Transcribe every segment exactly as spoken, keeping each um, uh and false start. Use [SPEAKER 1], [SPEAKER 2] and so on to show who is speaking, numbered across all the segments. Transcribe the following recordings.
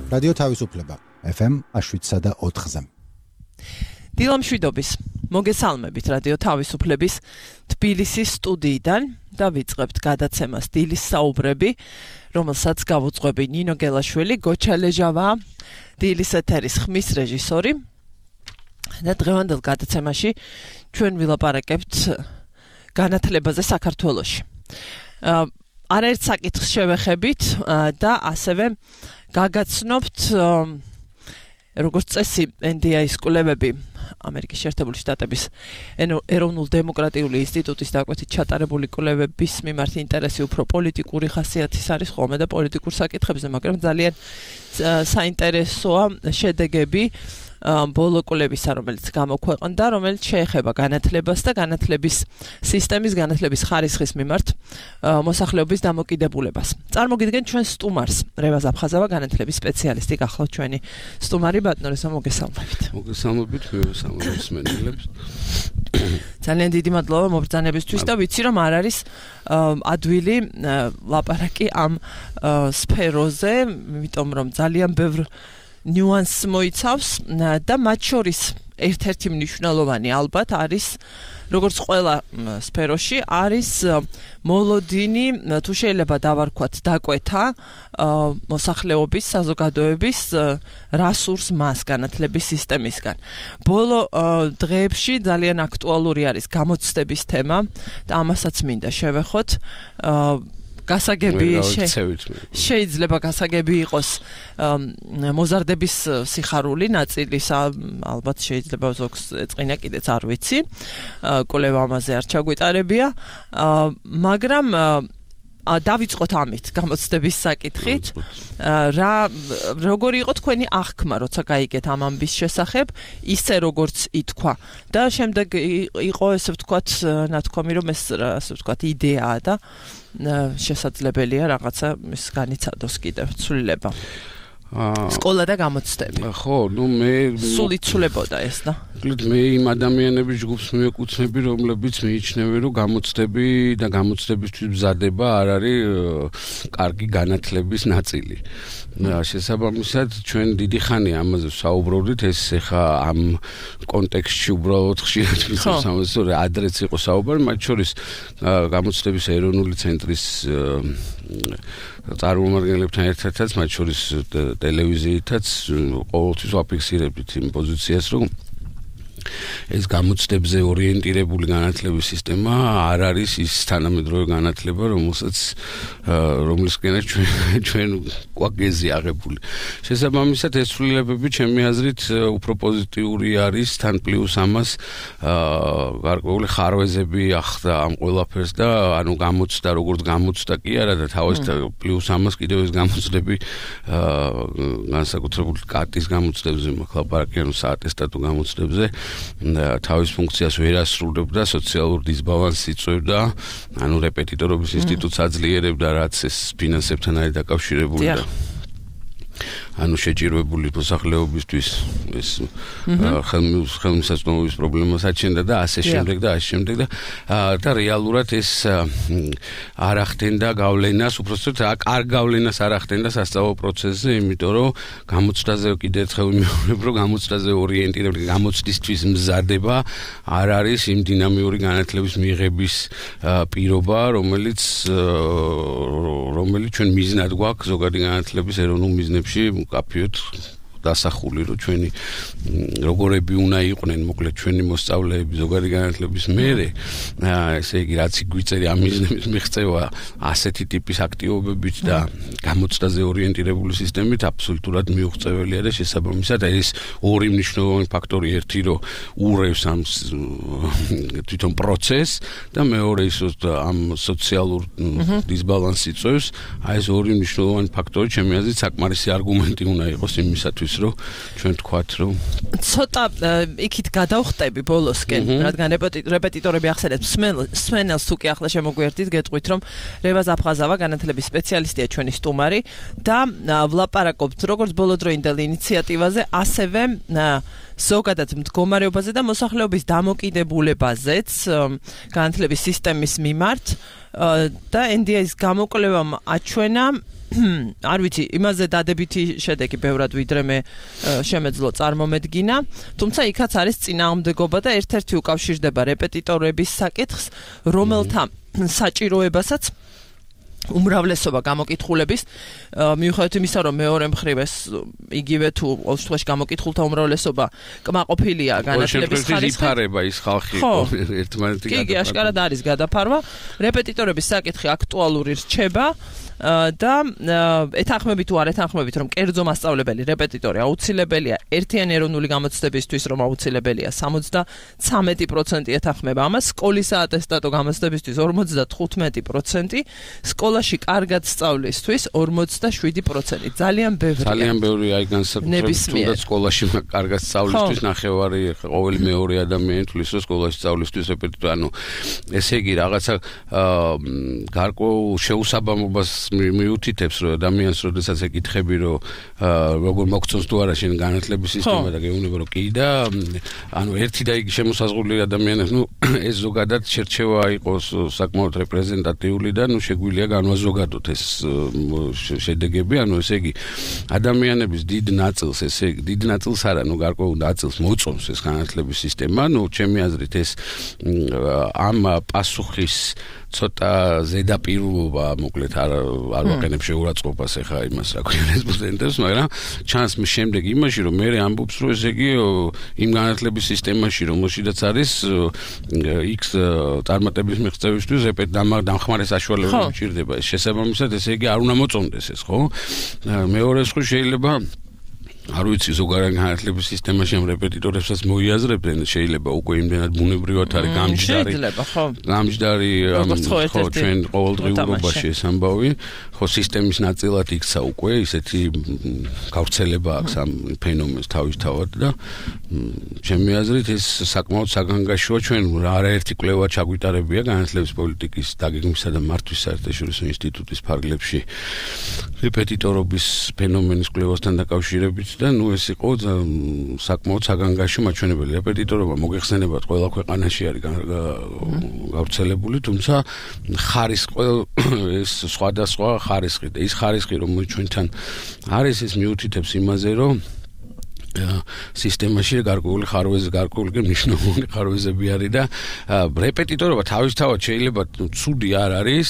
[SPEAKER 1] რადიო თავისუფლება ეფ ემ შვიდსა და ოთხზე.
[SPEAKER 2] დილამშვიდობის მოგესალმებით რადიო თავისუფლების თბილისის სტუდიიდან და ვიწყებთ გადაცემას დილის საუბრები, რომელსაც გავუძღვები ნინო გელაშვილი, გოჩა ლეჟავა, დილის ეთერის ხმის რეჟისორი და დღევანდელ გადაცემაში ჩვენ ვილაპარაკებთ განათლებაზე საქართველოში. არაერთ საკითხს შევეხებით და ასევე გაგაცნობთ როგორც წესი ენ დი ეის კვლევები ამერიკის შეერთებული შტატების ეროვნულ დემოკრატიული ინსტიტუტის დაკვეთით ჩატარებული კვლევების მიმართ ინტერესი უფრო პოლიტიკური ხასიათის არის ხოლმე და პოლიტიკურ საკითხებზე, მაგრამ ძალიან საინტერესოა შედეგები ბოლო კვლევისა, რომელიც გამოქვეყნდა, რომელიც შეეხება განათლებას და განათლების სისტემის, განათლების ხარისხის მიმართ მოსახლეობის დამოკიდებულებას. წარმოგიდგენთ ჩვენ სტუმარს, რევაზ აფხაზავა, განათლების სპეციალისტი, გახლავთ ჩვენი სტუმარი, ბატონო რესა, მოგესალმებით.
[SPEAKER 3] მოგესალმებით, მევესალმებით მსმენელებს.
[SPEAKER 2] ძალიან დიდი მადლობა მობრძანებისთვის და ვიცი რომ არ არის ადვილი ლაპარაკი ამ სფეროზე, იმიტომ რომ ძალიან ბევრ ნიუანსს მოიცავს და მათ შორის ერთ-ერთი მნიშვნელოვანი ალბათ არის როგორც ყველა სფეროში არის მოლოდინი, თუ შეიძლება დავარქვათ დაკვეთა მოსახლეობის, საზოგადოების რასურს მას განათლების სისტემისგან. ბოლო დღეებში ძალიან აქტუალური არის გამოცდების თემა და ამასაც მინდა შევეხოთ. გასაგები შეიძლება გასაგები იყოს მოზარდების სიხარული ნაწილისა, ალბათ შეიძლება ზოგს ეწყინა კიდეც არ ვიცი, კვლევა ამაზე არ ჩაგვიტარებია, მაგრამ დავიწყოთ ამით გამოცდების საკითხით, რა როგორი იყო თქვენი აღქმა, როცა გაიგეთ ამ ამბის შესახებ, ისე როგორც ითქვა და შემდეგ იყო ესე ვთქვათ ნათქვამი, რომ ეს ასე ვთქვათ იდეაა და შესაძლებელია რაღაცა ის განიცადოს კიდევ ცვლილება. სკოლა და გამოცდები.
[SPEAKER 3] ხო, ნუ მე
[SPEAKER 2] სულ იცვლებოდა ეს და.
[SPEAKER 3] მე იმ ადამიანების ჯგუფს მივეკუთვნები, რომლებიც მიიჩნევენ, რომ გამოცდები და გამოცდებისთვის მზადება არ არის კარგი განათლების ნაწილი. შესაბამისად, ჩვენ დიდი ხანი ამაზე საუბრობდით, ეს ეხა ამ კონტექსტში უბრალოდ ხშირად ვიცავს ამაზე, რომ ადრეც იყო საუბარი, მათ შორის გამოცდების ეროვნული ცენტრის წარმომადგენლებთან ერთადაც, მათ შორის ტელევიზიითაც ყოველთვის ვაფიქსირებდით იმ პოზიციას, რომ ეს გამოცდებზე ორიენტირებული განათლების სისტემა არ არის ის თანამედროვე განათლება, რომელსაც რომლისკენაც ჩვენ ჩვენ კვაკეზი აღებული. შესაბამისად, ეს ცვლილებები ჩემი აზრით უფრო პოზიტიური არის, თან პლუს ამას გარკვეული ხარვეზები ახდა ამ ყველაფერს და ანუ გამოცდა, როგორც გამოცდა კი არა და თავისთავად პლუს ამას კიდევ ეს გამოცდები განსაკუთრებული კატის გამოცდებზე, ლაპარაკი ანუ საატესტატო გამოცდებზე თავის ფუნქციას ვერ ასრულებდა, სოციალურ დისბალანსს იწვევდა, ანუ რეპეტიტორობის ინსტიტუტს აძლიერებდა, რაც ეს ფინანსებთან არის დაკავშირებული და ანუ შეჭირვებული მოსახლეობისთვის ეს ხელმისაწვდომობის პრობლემას აჩენდა და ასე შემდეგ და ასე შემდეგ და და რეალურად ეს არ ახდენდა გავლენას, უბრალოდ არ გავლენას არ ახდენდა სასწავლო პროცესზე, იმიტომ რომ გამოცდაზე კიდევ ერთხელ ვიმეორებ, რომ გამოცდაზე ორიენტირებული გამოცდისთვის მზადება არ არის იმ დინამიური განათლების მიღების პირობა, რომელიც რომელიც ჩვენ მიზნად გვაქვს ზოგადი განათლების ეროვნულ მიზნებში კაფიოთ დასახული, რომ ჩვენი როგორები უნდა იყვნენ, მოკლედ ჩვენი მოსწავლეები ზოგადი განათლების მერე, ესე იგი რაც გვიწერი ამ მიზნების მიღწევა ასეთი ტიპის აქტივობებით და გამოცდაზე ორიენტირებული სისტემით აბსოლუტურად მიუღწეველია და შესაბამისად ეს ორი მნიშვნელოვანი ფაქტორი, ერთი რომ ურევს ამ თვითონ პროცესს და მეორე ის ამ სოციალურ დისბალანსს იწვევს, აი ეს ორი მნიშვნელოვანი ფაქტორი ჩემი აზრით საკმარისი არგუმენტი უნდა იყოს იმისათვის, რომ ჩვენ თქვათ, რომ
[SPEAKER 2] ცოტა იქით გადავხტები ბოლოსკენ, რადგან რეპეტიტორები ახსენეთ მსმენელს თუ კი ახლა შემოგვიერთით, გეტყვით, რომ რევაზ აფხაზავა განათლების სპეციალისტია ჩვენი სტუმარი და ვლაპარაკობთ როგორც ბოლოდროინდელ ინიციატივაზე, ასევე ზოგადად მდგომარეობაზე და მოსახლეობის დამოკიდებულებაზეც განათლების სისტემის მიმართ და ენ დი ეის გამოკვლევამ აჩვენა არ ვიცი, იმაზე დადებითი შედეგი ბევრად ვიდრე მე შემეძლო წარმომედგინა, თუმცა იქაც არის წინააღმდეგობა და ერთ-ერთი უკავშირდება რეპეტიტორების საკითხს, რომელთა საჭიროებასაც უმრავლესობა გამოკითხულების მიუხედავად იმისა, რომ მეორე მხრივ ეს იგივე თუ ყოველ შემთხვევაში გამოკითხულთა უმრავლესობა კმაყოფილია განათლების ხარისხით. იფარება
[SPEAKER 3] ის ხალხი ერთმანეთი
[SPEAKER 2] გადაფარვა. კი, აშკარად არის გადაფარვა. რეპეტიტორების საკითხი აქტუალური რჩება და ეთანხმებით თუ არ ეთანხმებით, რომ კერძო მასწავლებელი რეპეტიტორი აუცილებელია ერთიანი ეროვნული გამოცდებისთვის, რომ აუცილებელია სამოცდათვრამეტი პროცენტი ეთანხმება ამას, სკოლის საატესტატო გამოცდებისთვის ორმოცდათხუთმეტი პროცენტი, სკოლაში კარგად სწავლისთვის ორმოცდაშვიდი პროცენტი. ძალიან ბევრია.
[SPEAKER 3] ძალიან ბევრია აი განსაკუთრებით თუნდაც სკოლაში კარგად სწავლისთვის ნახევარი ყოველი მეორე ადამიანი თulis რომ სკოლაში სწავლისთვის რეპეტიტორი, ანუ ესე იგი რაღაცა გარკვეულ შეუსაბამობას მიუთითებს რომ ადამიანს როდესაც ეკითხები რომ როგორ მოგწონს თუ არა შენ განათლების სისტემა და გეუბნება რომ კი და ანუ ერთი და იგი შემოსაზღვრული ადამიანებს ნუ ეს ზოგადად შერჩევა იყოს საკმაოდ რეპრეზენტატიული და ნუ შეგვიძლია განვაზოგადოთ ეს შედეგები, ანუ ესე იგი ადამიანების დიდ ნაწილს, ესე იგი დიდ ნაწილს არა, ნუ გარკვეულ ნაწილს მოწონს ეს განათლების სისტემა, ნუ ჩემი აზრით ეს ამ პასუხის ცოტა ზედაპირულობა, მოკლედ არ არ ვაყენებ შეურაცხყოფას ახლა იმას, რა ქვია რესპონდენტებს, მაგრამ ჩანს შემდეგ იმაში, რომ მე ამბობს, რომ ესე იგი იმ განათლების სისტემაში, რომელშიც არის X წარმატების მიღწევისთვის დამხმარე საშუალებები მჭირდება. ეს შესაბამისად, ესე იგი არ უნდა მოწონდეს ეს, ხო? მეორე სხვა შეიძლება არ ვიცი ზოგადად განათლების სისტემაში ამ რეპეტიტორებსაც მოიაზრებენ, შეიძლება უკვე იმდენად ბუნებრივად არის გამჯდარი. გამჯდარი ხო ჩვენ ყოველდღიურობაში ეს ამბავი, ხო სისტემის ნაწილად იქცა უკვე ისეთი გავრცელება აქვს ამ ფენომენს თავისთავად და ჩემი აზრით ეს საკმაოდ საგანგაშოა ჩვენ არაერთი კვლევა ჩაგვიტარებია განათლების პოლიტიკის დაგეგმვისა და მართვის საერთაშორისო ინსტიტუტის ფარგლებში რეპეტიტორობის ფენომენის კვლევასთან დაკავშირებით და ნუ ეს იყო საკმაოდ საგანგაშო მაჩვენებელი. რეპეტიტორობა მოგეხსენებათ ყველა ქვეყანაში არის გავრცელებული, თუმცა ხარისხი ეს სხვადასხვა ხარისხი და ის ხარისხი რომ ჩვენთან არის ეს მიუთითებს იმაზე რომ სისტემაში გარკვეული ხარვეზი, გარკვეული მნიშვნელოვანი ხარვეზები არის და რეპეტიტორობა თავისთავად შეიძლება ცუდი არ არის,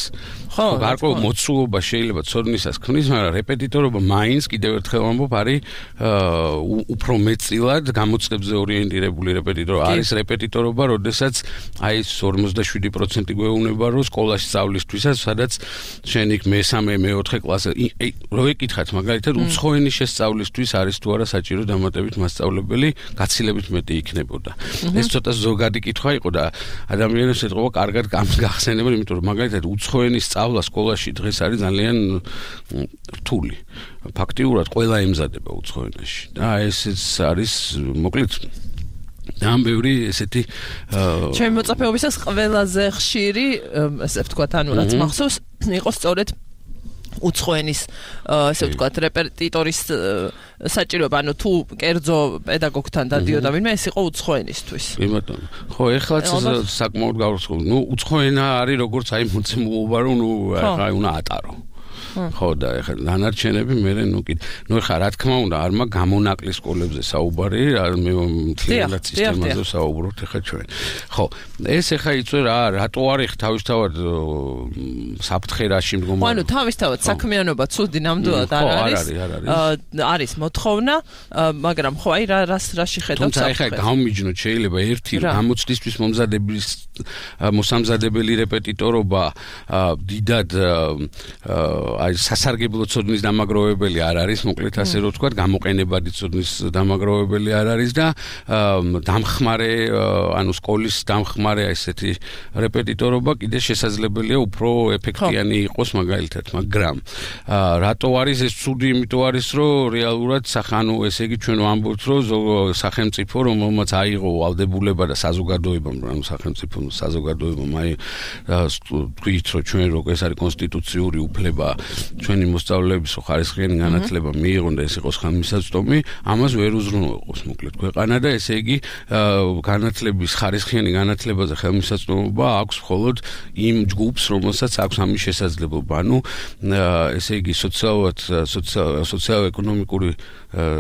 [SPEAKER 3] ხო, გარკვეულ მოცულობა შეიძლება ცოდნისას ქმნის, მაგრამ რეპეტიტორობა მაინც კიდევ ერთხელ ამბობ არის უფრო მეტწილად გამოცდებზე ორიენტირებული რეპეტიტორობა. არის რეპეტიტორობა, როდესაც აი ეს ორმოცდაშვიდი პროცენტი გვეუბნება, რომ სკოლაში სწავლისთვისაც, სადაც შენ იქ მესამე, მეოთხე კლასზე, რო ეკითხათ მაგალითად უცხოენის შესწავლისთვის არის თუ არა საჭირო დამატებით მასწავლებელი, გაცილებით მეტი იქნებოდა. ეს ცოტა ზოგადი კითხვა იყო და ადამიანებს ეთყობა კარგად გახსენებენ, იმიტომ რომ მაგალითად უცხოენის სწავლა სკოლაში დღეს არის ძალიან რთული. ფაქტიურად ყველა ემზადება უცხოენაში. და ესეც არის მოკლედ ამ ბევრი ესეთი
[SPEAKER 2] ჩემი მოწაფეობისას ყველაზე ხშირი, ესე ვთქვათ, ანუ რაც მახსოვს, იყო სწორედ უცხოენის ესე ვთქვათ რეპეტიტორის საჭიროება, ანუ თუ კერძო პედაგოგთან დადიოდა ვინმე, ეს იყო უცხოენისთვის.
[SPEAKER 3] კი ბატონო. ხო, ეხლაც საკმაოდ გავრცელებული. ნუ უცხოენა არის როგორც აი მოცემულობა, რომ ნუ აი უნდა ატარო. ხო და ეხლა დანარჩენები მე ნუ კიდე ნუ ეხლა რა თქმა უნდა არ მაგ გამონაკლისს სკოლებზე საუბარი, მე მთლიანად სისტემაზე საუბრობთ ეხლა ჩვენ. ხო, ეს ეხლა იწვე რა რატო არის თავისთავად საფრთხე რაში მდგომარეობა?
[SPEAKER 2] ანუ თავისთავად საქმიანობა ცუდი ნამდვილად არ არის. არის მოთხოვნა, მაგრამ ხო აი რა რაში ხედავთ?
[SPEAKER 3] თუმცა ეხლა გამომიჯნოთ შეიძლება ერთი გამოცდისთვის მომზადების მოსამზადებელი რეპეტიტორობა დიდად აი სასარგებლო ცოდნის დამაგროვებელი არ არის, მოკლედ ასე რომ ვთქვათ, გამოყენებადი ცოდნის დამაგროვებელი არ არის და დამხმარე, ანუ სკოლის დამხმარე ესეთი რეპეტიტორობა კიდე შესაძლებელია უფრო ეფექტიანი იყოს მაგალითად, მაგრამ რატო არის ეს ცუდი? იმიტომ არის, რომ რეალურად სახანო ესე იგი ჩვენ ვამბობთ, რომ სახელმწიფო რომელმაც აიღო ვალდებულება და საზოგადოებამ, ანუ სახელმწიფო საზოგადოებამ აი თქვით, რომ ჩვენ როგორ ეს არის კონსტიტუციური უფლება ჩვენი მოსწავლეების ხარისხიანი განათლება მიიღონ და ეს იყოს ხელმისაწვდომი, ამას ვერ უზრუნველყოფს მოკლედ ქვეყანა და ესე იგი განათლების ხარისხიანი განათლებაზე ხელმისაწვდომობა აქვს მხოლოდ იმ ჯგუფს, რომელსაც აქვს ამის შესაძლებლობა. ანუ ესე იგი სოციალურად სოციალურ-ეკონომიკური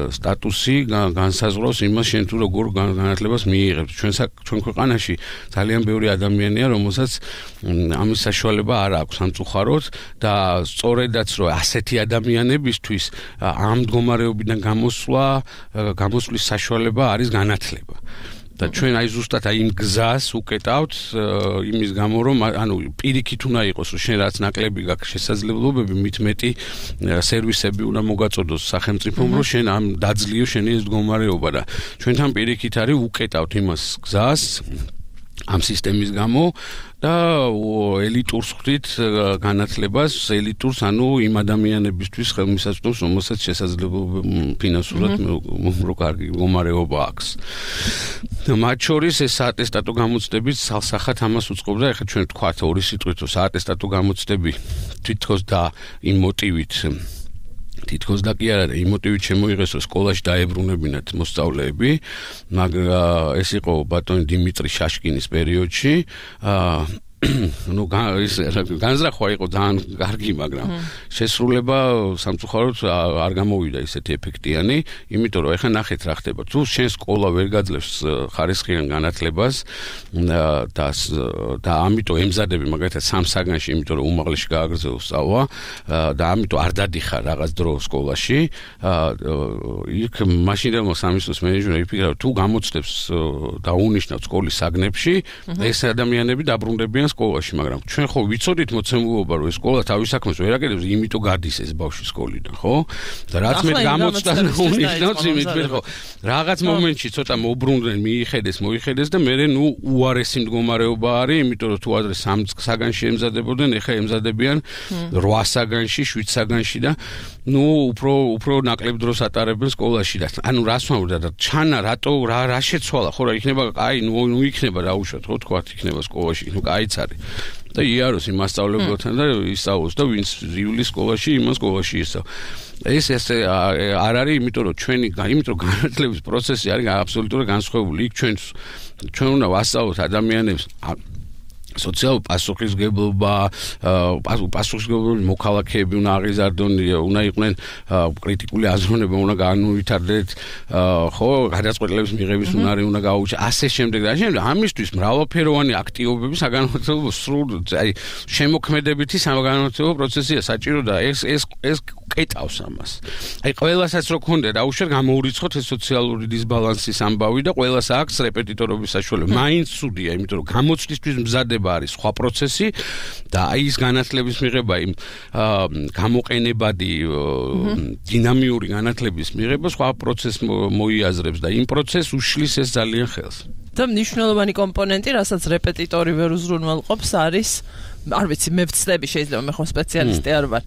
[SPEAKER 3] სტატუსი განსაზღვრავს იმას, შენ თუ როგორ განათლებას მიიღებ. ჩვენ ჩვენ ქვეყანაში ძალიან ბევრი ადამიანია, რომელსაც ამის საშუალება არ აქვს სამწუხაროდ და სწორედაც რომ ასეთი ადამიანებისთვის ამ მდგომარეობიდან გამოსვლა, გამოსვლის საშუალება არის განათლება. და ჩვენ აი ზუსტად აი იმ გზას უკეტავთ იმის გამო რომ ანუ პირიქით უნდა იყოს რომ შენ რაც ნაკლები გაქვს შესაძლებლობები მით მეტი სერვისები უნდა მოგაწოდოს სახელმწიფომ რომ შენ ამ დაძლიო შენი ეს მდგომარეობა და ჩვენთან პირიქით არის უკეტავთ იმას გზას ამ სისტემის გამო და ელიტურს ხვდით განათლებას ელიტურს ანუ იმ ადამიანებისთვის ხელმისაწვდომს რომელსაც შესაძლებლობა ფინანსურად რო კარგი მდგომარეობა აქვს მათ შორის ეს საატესტატო გამოცდებით სალსახად ამას უწყობდა ეხლა ჩვენ ვთქვათ ორი სიტყვით რომ საატესტატო გამოცდები თითქოს და იმ მოტივით თითქოს და კი არა იმ მოტივით შემოიღეს რომ სკოლაში დაებრუნებინათ მოსწავლეები მაგრამ ეს იყო ბატონი დიმიტრი შაშკინის პერიოდში ну განზრახვა იყო ძალიან კარგი მაგრამ შესრულება სამწუხაროდ არ გამოვიდა ისეთი ეფექტიანი იმიტომ რომ ეხლა ნახეთ რა ხდება თუ შენ სკოლა ვერ გაძლევს ხარისხიან განათლებას და და ამიტომ ემზადები მაგალითად სამ საგანში იმიტომ რომ უმაღლესში გააგრძელო სწავლა და ამიტომ არ დადიხარ რაღაც დრო სკოლაში იქ მაშინდელმა სამისლის მენეჯმენტი იფიქრა თუ გამოცდებს და უნიშნავთ სკოლის საგნებში ეს ადამიანები დაბრუნდებიან სკოლაში, მაგრამ ჩვენ ხო ვიცოდით მოცემულობა რომ ეს სკოლა თავის საქმეს ვერ აკეთებს, იმიტომ გადის ეს ბავშვი სკოლიდან, ხო? და რაც მე გამოცდა უნიშნავს იმით მე ხო რაღაც მომენტში ცოტა მოbrunდნენ, მიიხედეს, მოიხედეს და მე ნუ უარესი მდგომარეობა არის, იმიტომ რომ თუ ადრე სამ საგანში ემზადებოდნენ, ეხლა ემზადებიან რვა საგანში, შვიდ საგანში და ნუ უფრო უფრო ნაკლებ დროს ატარებენ სკოლაში და ანუ რას ვამბობ და ჩანა რატო რა რა შეცვალა ხო რა იქნება აი ნუ ნუ იქნება რა უშოთ ხო თქვა იქნება სკოლაში ნუ კაიც არის და იაროს იმ მასწავლებელთან და ისწავლოს და ვინც რივლის სკოლაში იმას სკოლაში ისწავლ ეს ეს არ არის იმიტომ რომ ჩვენი იმიტომ რომ განათლების პროცესი არის აბსოლუტურად განსხვავებული იქ ჩვენ ჩვენ უნდა ვასწავლოთ ადამიანებს სოციალურ პასუხისმგებლობა, პასუხისმგებლობის მოქალაქეები უნდა აღიზარდონ, უნდა იყვნენ კრიტიკული აზროვნება, უნდა განუვითარდეთ, ხო, გადაწყვეტილების მიღების უნარი უნდა გაუჩნდეთ, ასე შემდეგ და შემდეგ. ამისთვის მრავალფეროვანი აქტივობები საგანმანათლებლო სრულ, აი, შემოქმედებითი საგანმანათლებლო პროცესია საჭირო და ეს ეს ეს კეტავს ამას. აი, ყველასაც რო გქონდა და უშუალოდ გამოურიცხოთ ეს სოციალური დისბალანსის ამბავი და ყველას აქვს რეპეტიტორობის საშუალება. მაინც ცუდია, იმიტომ რომ გამოცდისთვის მზადება არის სხვა პროცესი და აი ის განათლების მიღება იმ გამოყენებადი დინამიური განათლების მიღება სხვა პროცესს მოიაზრებს და იმ პროცესს უშლის ეს ძალიან ხელს.
[SPEAKER 2] და მნიშვნელოვანი კომპონენტი, რასაც რეპეტიტორი ვერ უზრუნველყოფს, არის არ ვიცი, მე ვცდები შეიძლება მე ხო სპეციალისტი არ ვარ,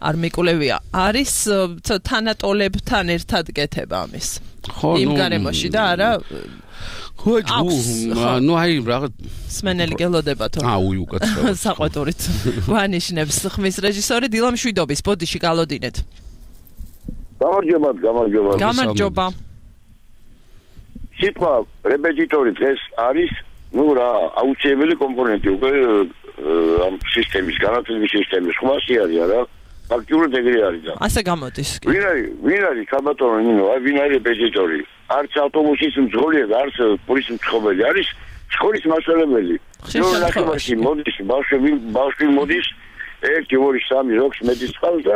[SPEAKER 2] არ მიკვლევია, არის თანატოლებთან ერთად გეთება ამის. იმ გარემოში და არა
[SPEAKER 3] ხო, ნუ აი რაღაც
[SPEAKER 2] სმენელი გელოდება თო.
[SPEAKER 3] აუ, უკაცრავად.
[SPEAKER 2] საყვეტურით. გვანიშნებს ხმის რეჟისორი დილა მშვიდობის, ბოდიში გალოდინეთ.
[SPEAKER 4] გამარჯობა, გამარჯობა.
[SPEAKER 2] გამარჯობა.
[SPEAKER 4] სიტყვა რეპეტიტორი დღეს არის, ну რა, აუცილებელი კომპონენტი უკვე ამ სისტემის, განათლების სისტემის ხმასი არის, არა? ფაქტიურად ეგრე არის და.
[SPEAKER 2] ასე გამოდის.
[SPEAKER 4] ვინ არის, ვინ არის ხალბატონო ნინო, აი ვინ არის რეპეტიტორი? არც ავტობუსის მძღოლია და არც პოლის მცხოვრებელი არის სკოლის მასწავლებელი. ნახევარში მოდის ბავშვი, ბავშვი მოდის ერთი, ორი, სამი, ოთხი მეტის წყალს და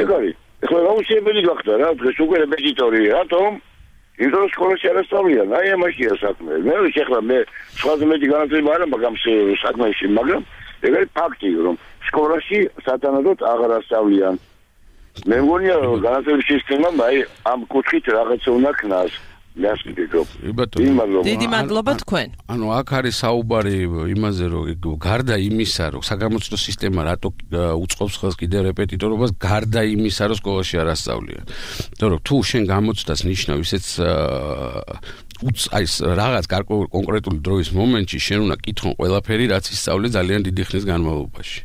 [SPEAKER 4] ეგ არის. ეხლა აუცილებელი გახდა რა, დღეს უკვე რეპეტიტორი, რატომ? იმიტომ რომ სკოლაში არ ასწავლიან, აი ამაშია საქმე. მე ეხლა მე სხვაზე მეტი განათლება არ მაქვს საქმეში, მაგრამ ეგ არის ფაქტი, რომ სკოლაში სათანადოდ აღარ ასწავლიან. მე მგონია რომ განათლების სისტემამ აი ამ კუთხით რაღაცა უნდა ქნას.
[SPEAKER 2] დიდი მადლობა თქვენ.
[SPEAKER 3] ანუ აქ არის საუბარი იმაზე რომ გარდა იმისა რომ საგამოცდო სისტემა რატო უწყობს ხელს კიდე რეპეტიტორობას გარდა იმისა რომ სკოლაში არ ასწავლიან. იმიტომ რომ თუ შენ გამოცდას ნიშნავ ისეც აი რაღაც კონკრეტული დროის მომენტში შენ უნდა კითხონ ყველაფერი რაც ისწავლე ძალიან დიდი ხნის განმავლობაში.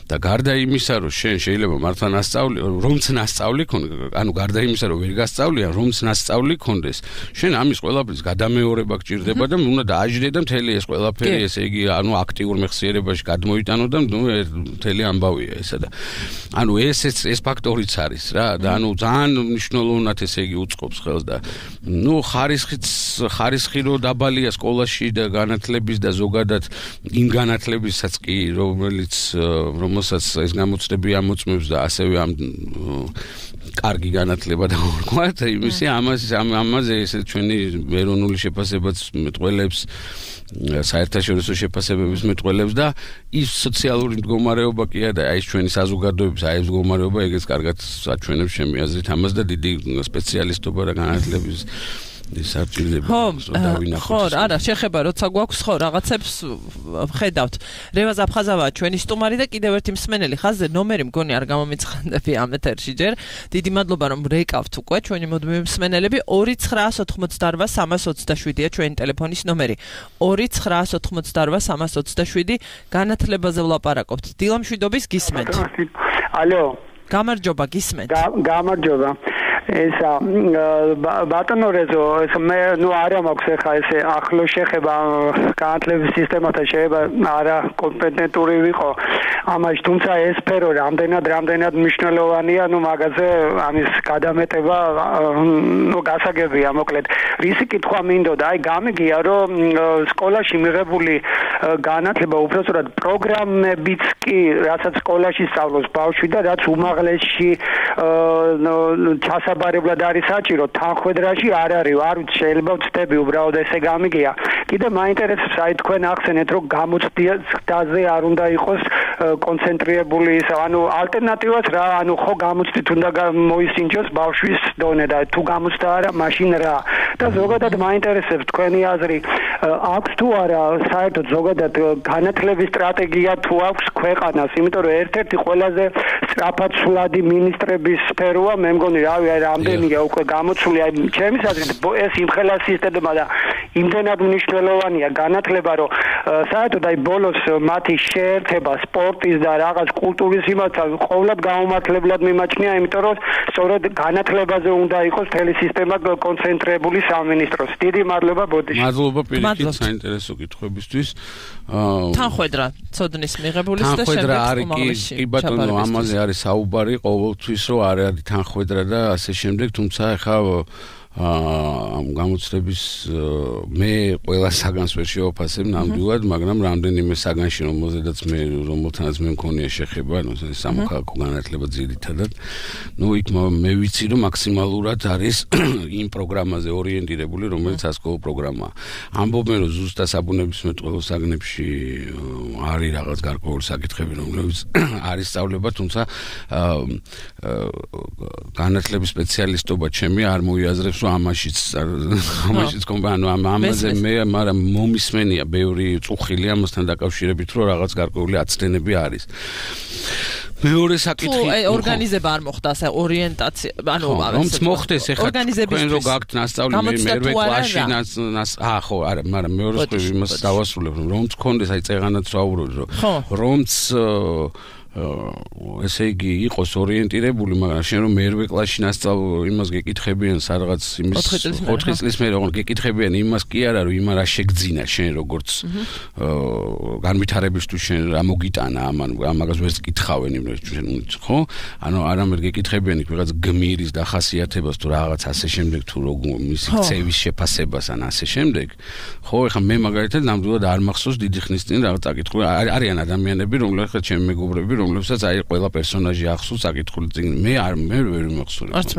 [SPEAKER 3] და გარდა იმისა, რომ შენ შეიძლება მართლა ნასწავლი, რომც ნასწავლი ქონდეს, ანუ გარდა იმისა, რომ ვერ გასწავლიან, რომც ნასწავლი ქონდეს, შენ ამის ყველაფრის გადამეორება გჭირდება და უნდა დააჯდე და მთელი ეს ყველაფერი, ესე იგი, ანუ აქტიურ მეხსიერებაში გადმოიტანო და ნუ მთელი ამბავია ესა და ანუ ეს ეს ფაქტორიც არის რა და ანუ ძალიან მნიშვნელოვნად ესე იგი უწყობს ხელს და ნუ ხარისხიც ხარისხი რო დაბალია სკოლაში და განათლების და ზოგადად იმ განათლებისაც კი რომელიც რომელსაც ეს გამოცდები ამოწმებს და ასევე ამ კარგი განათლება და ვთქვათ იმისი ამაზე ამაზე ესე ჩვენი ეროვნული შეფასებაც მეტყველებს საერთაშორისო შეფასებების მეტყველებს და ის სოციალური მდგომარეობა კი არა აი ეს ჩვენი საზოგადოების აი ეს მდგომარეობა ეგეც კარგად აჩვენებს ჩემი აზრით ამას და დიდი სპეციალისტობა და განათლების ის არჩილდება
[SPEAKER 2] დავინახოთ ხო არა შეხება როცა გვაქვს ხო რაღაცებს ხედავთ რევაზ აფხაზავა ჩვენი სტუმარი და კიდევ ერთი მსმენელი ხაზზე ნომერი მგონი არ გამომიცხადები ამ ეთერში ჯერ დიდი მადლობა რომ რეკავთ უკვე ჩვენი მოდმე მსმენელები ორი ცხრაას ოთხმოცდაორვა სამას ოცდაშვიდია ჩვენი ტელეფონის ნომერი ორი ცხრაას ოთხმოცდაორვა სამას ოცდაშვიდი განათლებაზე ვლაპარაკობთ დილამშვიდობის გისმენთ
[SPEAKER 5] ალო
[SPEAKER 2] გამარჯობა გისმენთ
[SPEAKER 5] გამარჯობა ისა ბატონო რეზო ეს მე ნუ არა მაქვს ხა ესე ახლო შეხება განათლების სისტემათან შეიძლება არა კომპეტენტური ვიყო ამაში თუმცა ეს სფერო რამდენად რამდენად მნიშვნელოვანია ნუ მაგაზე ამის გადამეტება ნუ გასაგებია მოკლედ რისი კითხვა მინდოდა აი გამიგია რომ სკოლაში მიღებული განათლება უბრალოდ პროგრამებიც კი რასაც სკოლაში სწავლობს ბავშვი და რაც უმაღლესში ჩასაბარებლად არის საჭირო თანხwebdriverში არ არის არ ვიცი შეიძლება ვწდები უბრალოდ ესე გამიგია კიდე მაინტერესებს აი თქვენ ახსენეთ რომ გამოცდაზე არ უნდა იყოს კონცენტრირებული ის ანუ ალტერნატივას რა ანუ ხო გამოცდით უნდა მოისინჯოს ბავშვის დონე და თუ გამოცდა არა მაშინ რა და ზოგადად მაინტერესებს თქვენი აზრი აქვს თუ არა საერთოდ ზოგადად განათლების სტრატეგია თუ აქვს ქვეყანას იმიტომ რომ ერთ-ერთი ყველაზე სწრაფად სვლადი მინისტრების სფეროა მე მგონი რავი აი რამდენია უკვე გამოცული აი ჩემის აზრით ეს იმხელა სისტემა და იმდენად მნიშვნელოვანია განათლება რომ საერთოდ აი ბოლოს მათი შეერთება სპორტის და რაღაც კულტურის იმასთან ყოველად გაუმართლებლად მიმაჩნია იმიტომ რომ სწორედ განათლებაზე უნდა იყოს მთელი სისტემა კონცენტრირებული სამინისტროს დიდი მადლობა ბოდიში
[SPEAKER 3] მადლობა პირიქით საინტერესო კითხვებისთვის
[SPEAKER 2] თანხwebdriver ცოდნის მიღებულის და შემდეგ უმაღლესში
[SPEAKER 3] კი ბატონო ამაზე არის საუბარი ყოველთვის რომ არ არის თანხwebdriver და ასე შემდეგ თუმცა ახლა ამ გამოცდების მე ყველა საგანს ვერ შევაფასებ ნამდვილად, მაგრამ რამდენიმე საგანში რომელზედაც მე რომელთანაც მე მქონია შეხება, ну სამოქალაქო განათლება ძირითადად, ну იქ მე ვიცი რომ მაქსიმალურად არის იმ პროგრამაზე ორიენტირებული, რომელიც ასკოლო პროგრამაა. ამბობენ რომ ზუსტად საბუნებისმეტყველო საგნებში არის რაღაც გარკვეული საკითხები, რომლებიც არის სწავლება, თუმცა განათლების სპეციალისტობა ჩემი არ მოიაზრებს ამაშიც ამაშიც კომპანია ამაზე მე მაგრამ მომისმენია ბევრი წუხილი ამასთან დაკავშირებით რომ რაღაც გარკვეული აცდენები არის მეორე საკითხი
[SPEAKER 2] თუ ორგანიზება არ მოხდა ასე ორიენტაცია ანუ
[SPEAKER 3] რომც მოხდეს ეხლა თქვენ რო გაქვთ ნასწავლი მერვე კლასში აა ხო არა მაგრამ მეორე სკოლაში იმას დავასრულებ რომც კონდეს აი წეღანაც ვაუბრობ რომ რომც ესე იგი იყოს ორიენტირებული, მაგრამ შენ რომ მერვე კლასში ნასწავლ იმას გეკითხებიან სადღაც იმის ოთხი წლის მერე რომ გეკითხებიან იმას კი არა რომ იმა რა შეგძინა შენ როგორც განვითარებისთვის შენ რა მოგიტანა ამან ამაგას ვერც კითხავენ იმას შენ ხო? ანუ არამედ გეკითხებიან იქ რაღაც გმირის დახასიათებას თუ რაღაც ასე შემდეგ თუ როგორ მისი ქცევის შეფასებას ან ასე შემდეგ. ხო, ეხლა მე მაგალითად ნამდვილად არ მახსოვს დიდი ხნის წინ რაღაც წაკითხული არიან ადამიანები რომლებიც ხა ჩემი მეგობრები რომლებსაც აი ყველა პერსონაჟი ახსოვს საკითხული წინ მე არ მე ვერ მახსოვს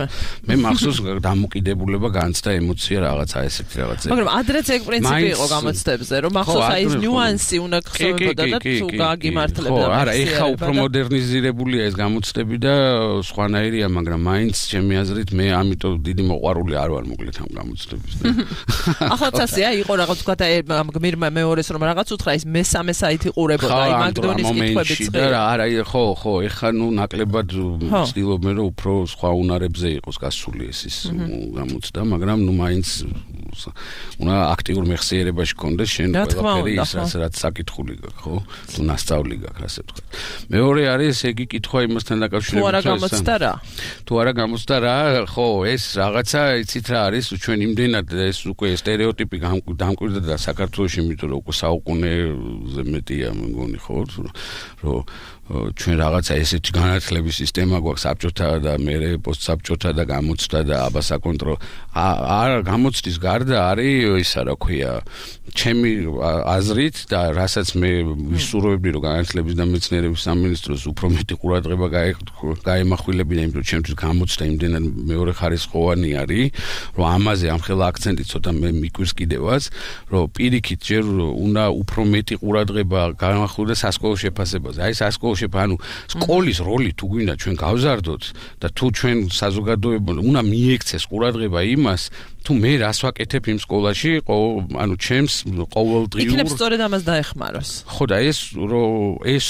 [SPEAKER 3] მე მახსოვს დამოკიდებულება განცდა ემოცია რაღაცა ესეთი რაღაცა
[SPEAKER 2] მაგრამ ადრეც ეგ პრინციპი იყო გამოცდებზე რომ ახსოვს აი ეს ნიუანსი უნდა გხსოვებოდა და თუ გაგიმართლებდა
[SPEAKER 3] ხო არა ეხა უფრო მოდერნიზირებულია ეს გამოცდები და სხვანაირია მაგრამ მაინც ჩემი აზრით მე ამიტომ დიდი მოყვარული არ ვარ მოკლედ ამ გამოცდების
[SPEAKER 2] ახალცასია იყო რაღაც თქვა ამ გმირმა მეორეს რომ რაღაც უთხრა ის მესამე საითი ყურებოდა აი მაგდონის კითხვებიც
[SPEAKER 3] და არა ხო ხო ეხა ნუ ნაკლებად ვცდილობენ რომ უფრო სხვა უნარებზე იყოს გასული ეს ის გამოცდა მაგრამ ნუ მაინც უნდა აქტიურ მეხსიერებაში კონდეს შენ ყველაფერი ის რაც რაც საკითხული გაქვს ხო თუ ნასწავლი გაქვს ასე ვთქვათ მეორე არის ეგი კითხვა იმასთან დაკავშირებით
[SPEAKER 2] თუ არა გამოცდა რა
[SPEAKER 3] თუ არა გამოცდა რა ხო ეს რაღაცა იცით რა არის ჩვენ იმდენად ეს უკვე სტერეოტიპი დამკვირდა და საქართველოში იმიტომ რომ უკვე საუკუნეზე მეტია მგონი ხო რომ ჩვენ რაღაცა ესეთი განათლების სისტემა გვაქვს საბჭოთა და მე პოსტსაბჭოთა და გამოცდა და აბა საკონტროლო არ გამოცდის გარდა არის ისა რა ქვია ჩემი აზრით და რასაც მე ვისურვებდი რომ განათლების და მეცნიერების სამინისტროს უფრო მეტი ყურადღება გაემახვილებინა იმიტომ რომ ჩემთვის გამოცდა იმდენად მეორე ხარისხოვანი არის რომ ამაზე ამხელა აქცენტი ცოტა მე მიკვირს კიდევაც რომ პირიქით ჯერ უნდა უფრო მეტი ყურადღება გაემახვილდეს სასკოლო შეფასებაზე აი სასკოლო ანუ სკოლის როლი თუ გვინდა ჩვენ გავზარდოთ და თუ ჩვენ საზოგადოება უნდა მიექცეს ყურადღება იმას თუ მე რას ვაკეთებ იმ სკოლაში ანუ ჩემს ყოველდღიურ
[SPEAKER 2] იქნებ სწორედ ამას დაეხმაროს
[SPEAKER 3] ხო და ეს რომ ეს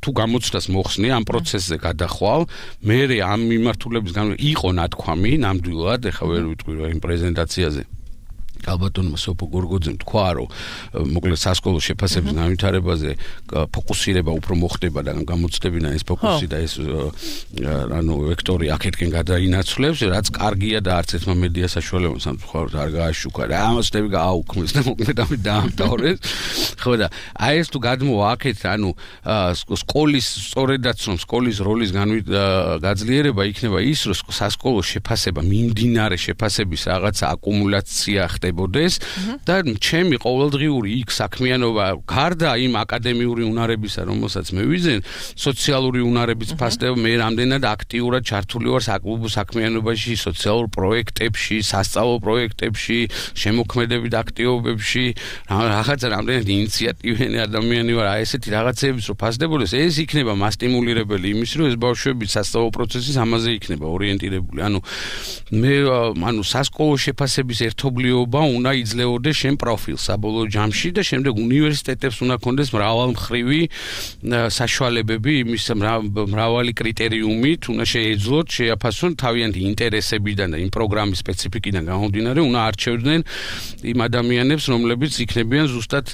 [SPEAKER 3] თუ გამოცდას მოხსნი ამ პროცესზე გადახვალ მე ამ მიმართულების გამო იყო ნათქვამი ნამდვილად ეხლა ვერ ვიტყვი რომ იმ პრეზენტაციაზე ალბათონმა სოფო გორგოძემ თქვა რომ მოკლედ სასკოლო შეფასების განვითარებაზე ფოკუსირება უფრო მოხდება და გამოცდებინა ეს ფოკუსი და ეს ანუ ვექტორი აქეთკენ გადაინაცვლებს რაც კარგია და არც ერთმა მედია საშუალებამ სამწუხაროდ არ გააშუქა და ამასტები გააუქმეს და მოკლედ ამით დაამთავრეს ხო და აი ეს თუ გადმოვა აქეთ ანუ სკოლის სწორედაც რომ სკოლის როლის გაძლიერება იქნება ის რომ სასკოლო შეფასება მიმდინარე შეფასების რაღაცა აკუმულაცია ხდება და ჩემი ყოველდღიური იქ საქმიანობა გარდა იმ აკადემიური უნარებისა რომელსაც მე ვიზენ სოციალური უნარების ფასდება მე რამდენად აქტიურად ჩართული ვარ საკლუბო საქმიანობაში სოციალურ პროექტებში სასწავლო პროექტებში შემოქმედებით აქტივობებში რაღაცა რამდენად ინიციატივიანი ადამიანი ვარ აი ესეთი რაღაცეების რო ფასდებოდეს ეს იქნება მასტიმულირებელი იმის რომ ეს ბავშვები სასწავლო პროცესის ამაზე იქნება ორიენტირებული ანუ მე ანუ სასკოლო შეფასების ერთობლიობა უნდა იძლეოდეს შენ პროფილს საბოლოო ჯამში და შემდეგ უნივერსიტეტებს უნდა ქონდეს მრავალმხრივი საშუალებები იმის მრავალი კრიტერიუმით უნდა შეეძლოთ შეაფასონ თავიანთი ინტერესებიდან და იმ პროგრამის სპეციფიკიდან გამომდინარე უნდა არჩევდნენ იმ ადამიანებს რომლებიც იქნებიან ზუსტად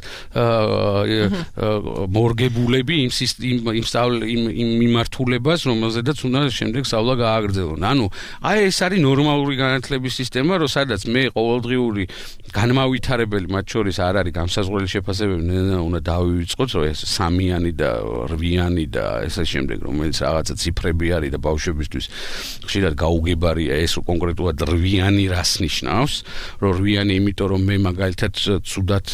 [SPEAKER 3] მორგებულები იმ იმ იმ მიმართულებას რომელზედაც უნდა შემდეგ სწავლა გააგრძელონ ანუ აი ეს არის ნორმალური განათლების სისტემა რომ სადაც მე ყოველდღიური განმავითარებელი მათ შორის არ არის განსაზღვრელი შეფასებები უნდა დავივიწყოთ რომ ეს სამიანი და რვიანი და ესე შემდეგ რომელიც რაღაცა ციფრები არის და ბავშვებისთვის ხშირად გაუგებარია ეს კონკრეტულად რვიანი რას ნიშნავს რომ რვიანი იმიტომ რომ მე მაგალითად ცუდად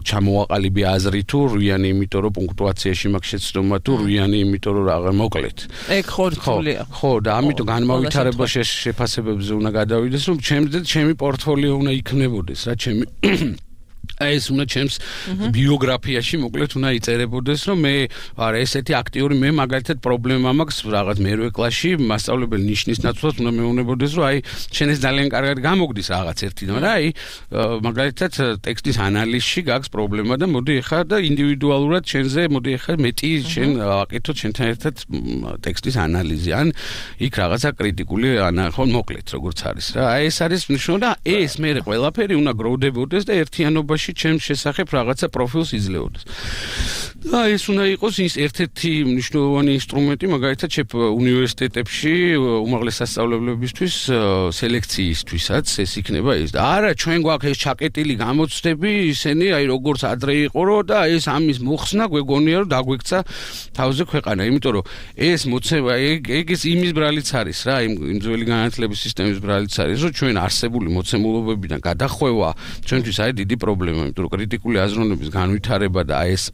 [SPEAKER 3] ჩამოვაყალიბე აზრი თუ რვიანი იმიტომ რომ პუნქტუაციაში მაქვს შეცდომა თუ რვიანი იმიტომ რომ რაღა მოკლედ
[SPEAKER 2] ეგ ხორცულია
[SPEAKER 3] ხო და ამიტომ განმავითარება შეფასებებზე უნდა გადავიდეს რომ ჩემზე ჩემი პორტფოლიო უნდა იქნებოდეს რა ჩემი ეს უნდა ჩემს ბიოგრაფიაში მოკლედ უნდა იწერებოდეს რომ მე არა ესეთი აქტიური მე მაგალითად პრობლემა მაქვს რაღაც მერვე კლასში მასწავლებელი ნიშნის ნაცვლად უნდა მეუბნებოდეს რომ აი შენ ეს ძალიან კარგად გამოგდის რაღაც ერთი და აი მაგალითად ტექსტის ანალიზში გაქვს პრობლემა და მოდი ეხლა და ინდივიდუალურად შენზე მოდი ეხლა მეტი შენ ვაკეთოთ შენთან ერთად ტექსტის ანალიზი ან იქ რაღაცა კრიტიკული ხო მოკლედ როგორც არის რა აი ეს არის ნიშნობა და ეს მე ყველაფერი უნდა გროვდებოდეს და ერთიანობაში ჩემს შესახებ რაღაცა პროფილს იძლეოდეს. და ეს უნდა იყოს ის ერთ-ერთი მნიშვნელოვანი ინსტრუმენტი მაგალითად შეფ უნივერსიტეტებში უმაღლეს სასწავლებლებისთვის სელექციისთვისაც ეს იქნება ეს და არა ჩვენ გვაქვს ეს ჩაკეტილი გამოცდები ისინი აი როგორც ადრე იყო რომ და ეს ამის მოხსნა გვეგონია რომ დაგვექცა თავზე ქვეყანა იმიტომ რომ ეს მოცემა ეგ ეს იმის ბრალიც არის რა იმ იმ ძველი განათლების სისტემის ბრალიც არის რომ ჩვენ არსებული მოცემულობებიდან გადახვევა ჩვენთვის არის დიდი პრობლემა იმიტომ რომ კრიტიკული აზროვნების განვითარება და ეს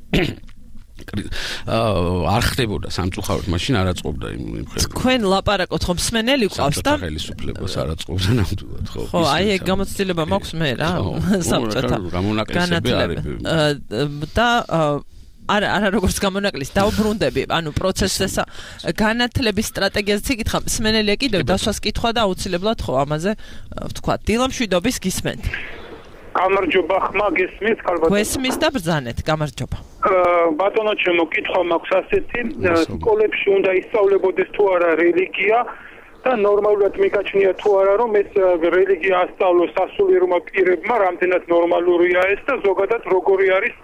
[SPEAKER 3] არ ხდებოდა სამწუხაროდ მაშინ არ აწყობდა იმ მხრივ.
[SPEAKER 2] თქვენ ლაპარაკობთ ხომ მსმენელი ყავს და
[SPEAKER 3] ხელისუფლებას არ აწყობდა ნამდვილად ხო.
[SPEAKER 2] ხო, აი ეგ გამოცდილება მაქვს მე რა საბჭოთა
[SPEAKER 3] გამონაკლისები არის.
[SPEAKER 2] და არა არა როგორც გამონაკლისი დაუბრუნდები ანუ პროცესს განათლების სტრატეგიაზეც იკითხა მსმენელია კიდევ დასვას კითხვა და აუცილებლად ხო ამაზე ვთქვა დილამშვიდობის გისმენთ
[SPEAKER 5] გამარჯობა ხმა გესმის ქალბატონო
[SPEAKER 2] გესმის და ბრძანეთ გამარჯობა
[SPEAKER 5] ბატონო ჩემო კითხვა მაქვს ასეთი სკოლებში უნდა ისწავლებოდეს თუ არა რელიგია
[SPEAKER 6] და ნორმალურად მიგაჩნია თუ არა რომ ეს რელიგია ასწავლოს სასულიერო პირებმა რამდენად ნორმალურია ეს და ზოგადად როგორი არის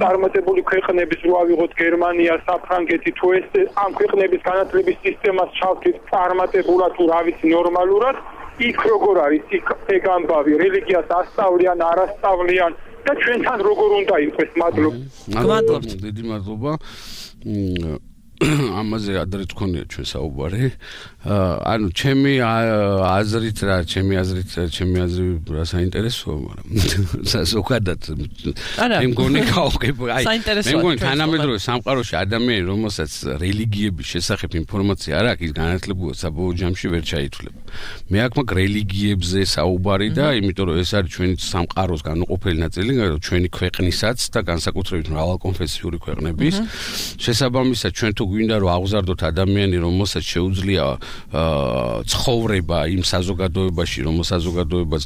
[SPEAKER 6] წარმატებული ქვეყნების რო ავიღოთ გერმანია, საფრანგეთი თუ ეს ამ ქვეყნების განათლების სისტემას ჩავთვით წარმატებულად თუ რა ვიცი ნორმალურად იქ როგორ არის იქ ეგ ამბავი რელიგიას ასწავლიან არ ასწავლიან და ჩვენთან როგორ უნდა იყოს მადლობა
[SPEAKER 2] მადლობთ
[SPEAKER 3] დიდი მადლობა ამაზე ადრე თქვენია ჩვენ საუბარი ანუ ჩემი აზრით რა ჩემი აზრით ჩემი აზრი რა საინტერესოა მაგრამ ზოგადად მე მგონი გავყებ აი მე მგონი თანამედროვე სამყაროში ადამიანი რომელსაც რელიგიების შესახებ ინფორმაცია არ აქვს ის განათლება საბოლოო ჯამში ვერ ჩაითვლება მე აქ მაგ რელიგიებზე საუბარი და იმიტომ რომ ეს არის ჩვენი სამყაროს განუყოფელი ნაწილი ჩვენი ქვეყნისაც და განსაკუთრებით მრავალკონფესიური ქვეყნების შესაბამისად ჩვენ თუ გვინდა რომ აღზარდოთ ადამიანი რომელსაც შეუძლია ცხოვრება იმ საზოგადოებაში რომ საზოგადოებას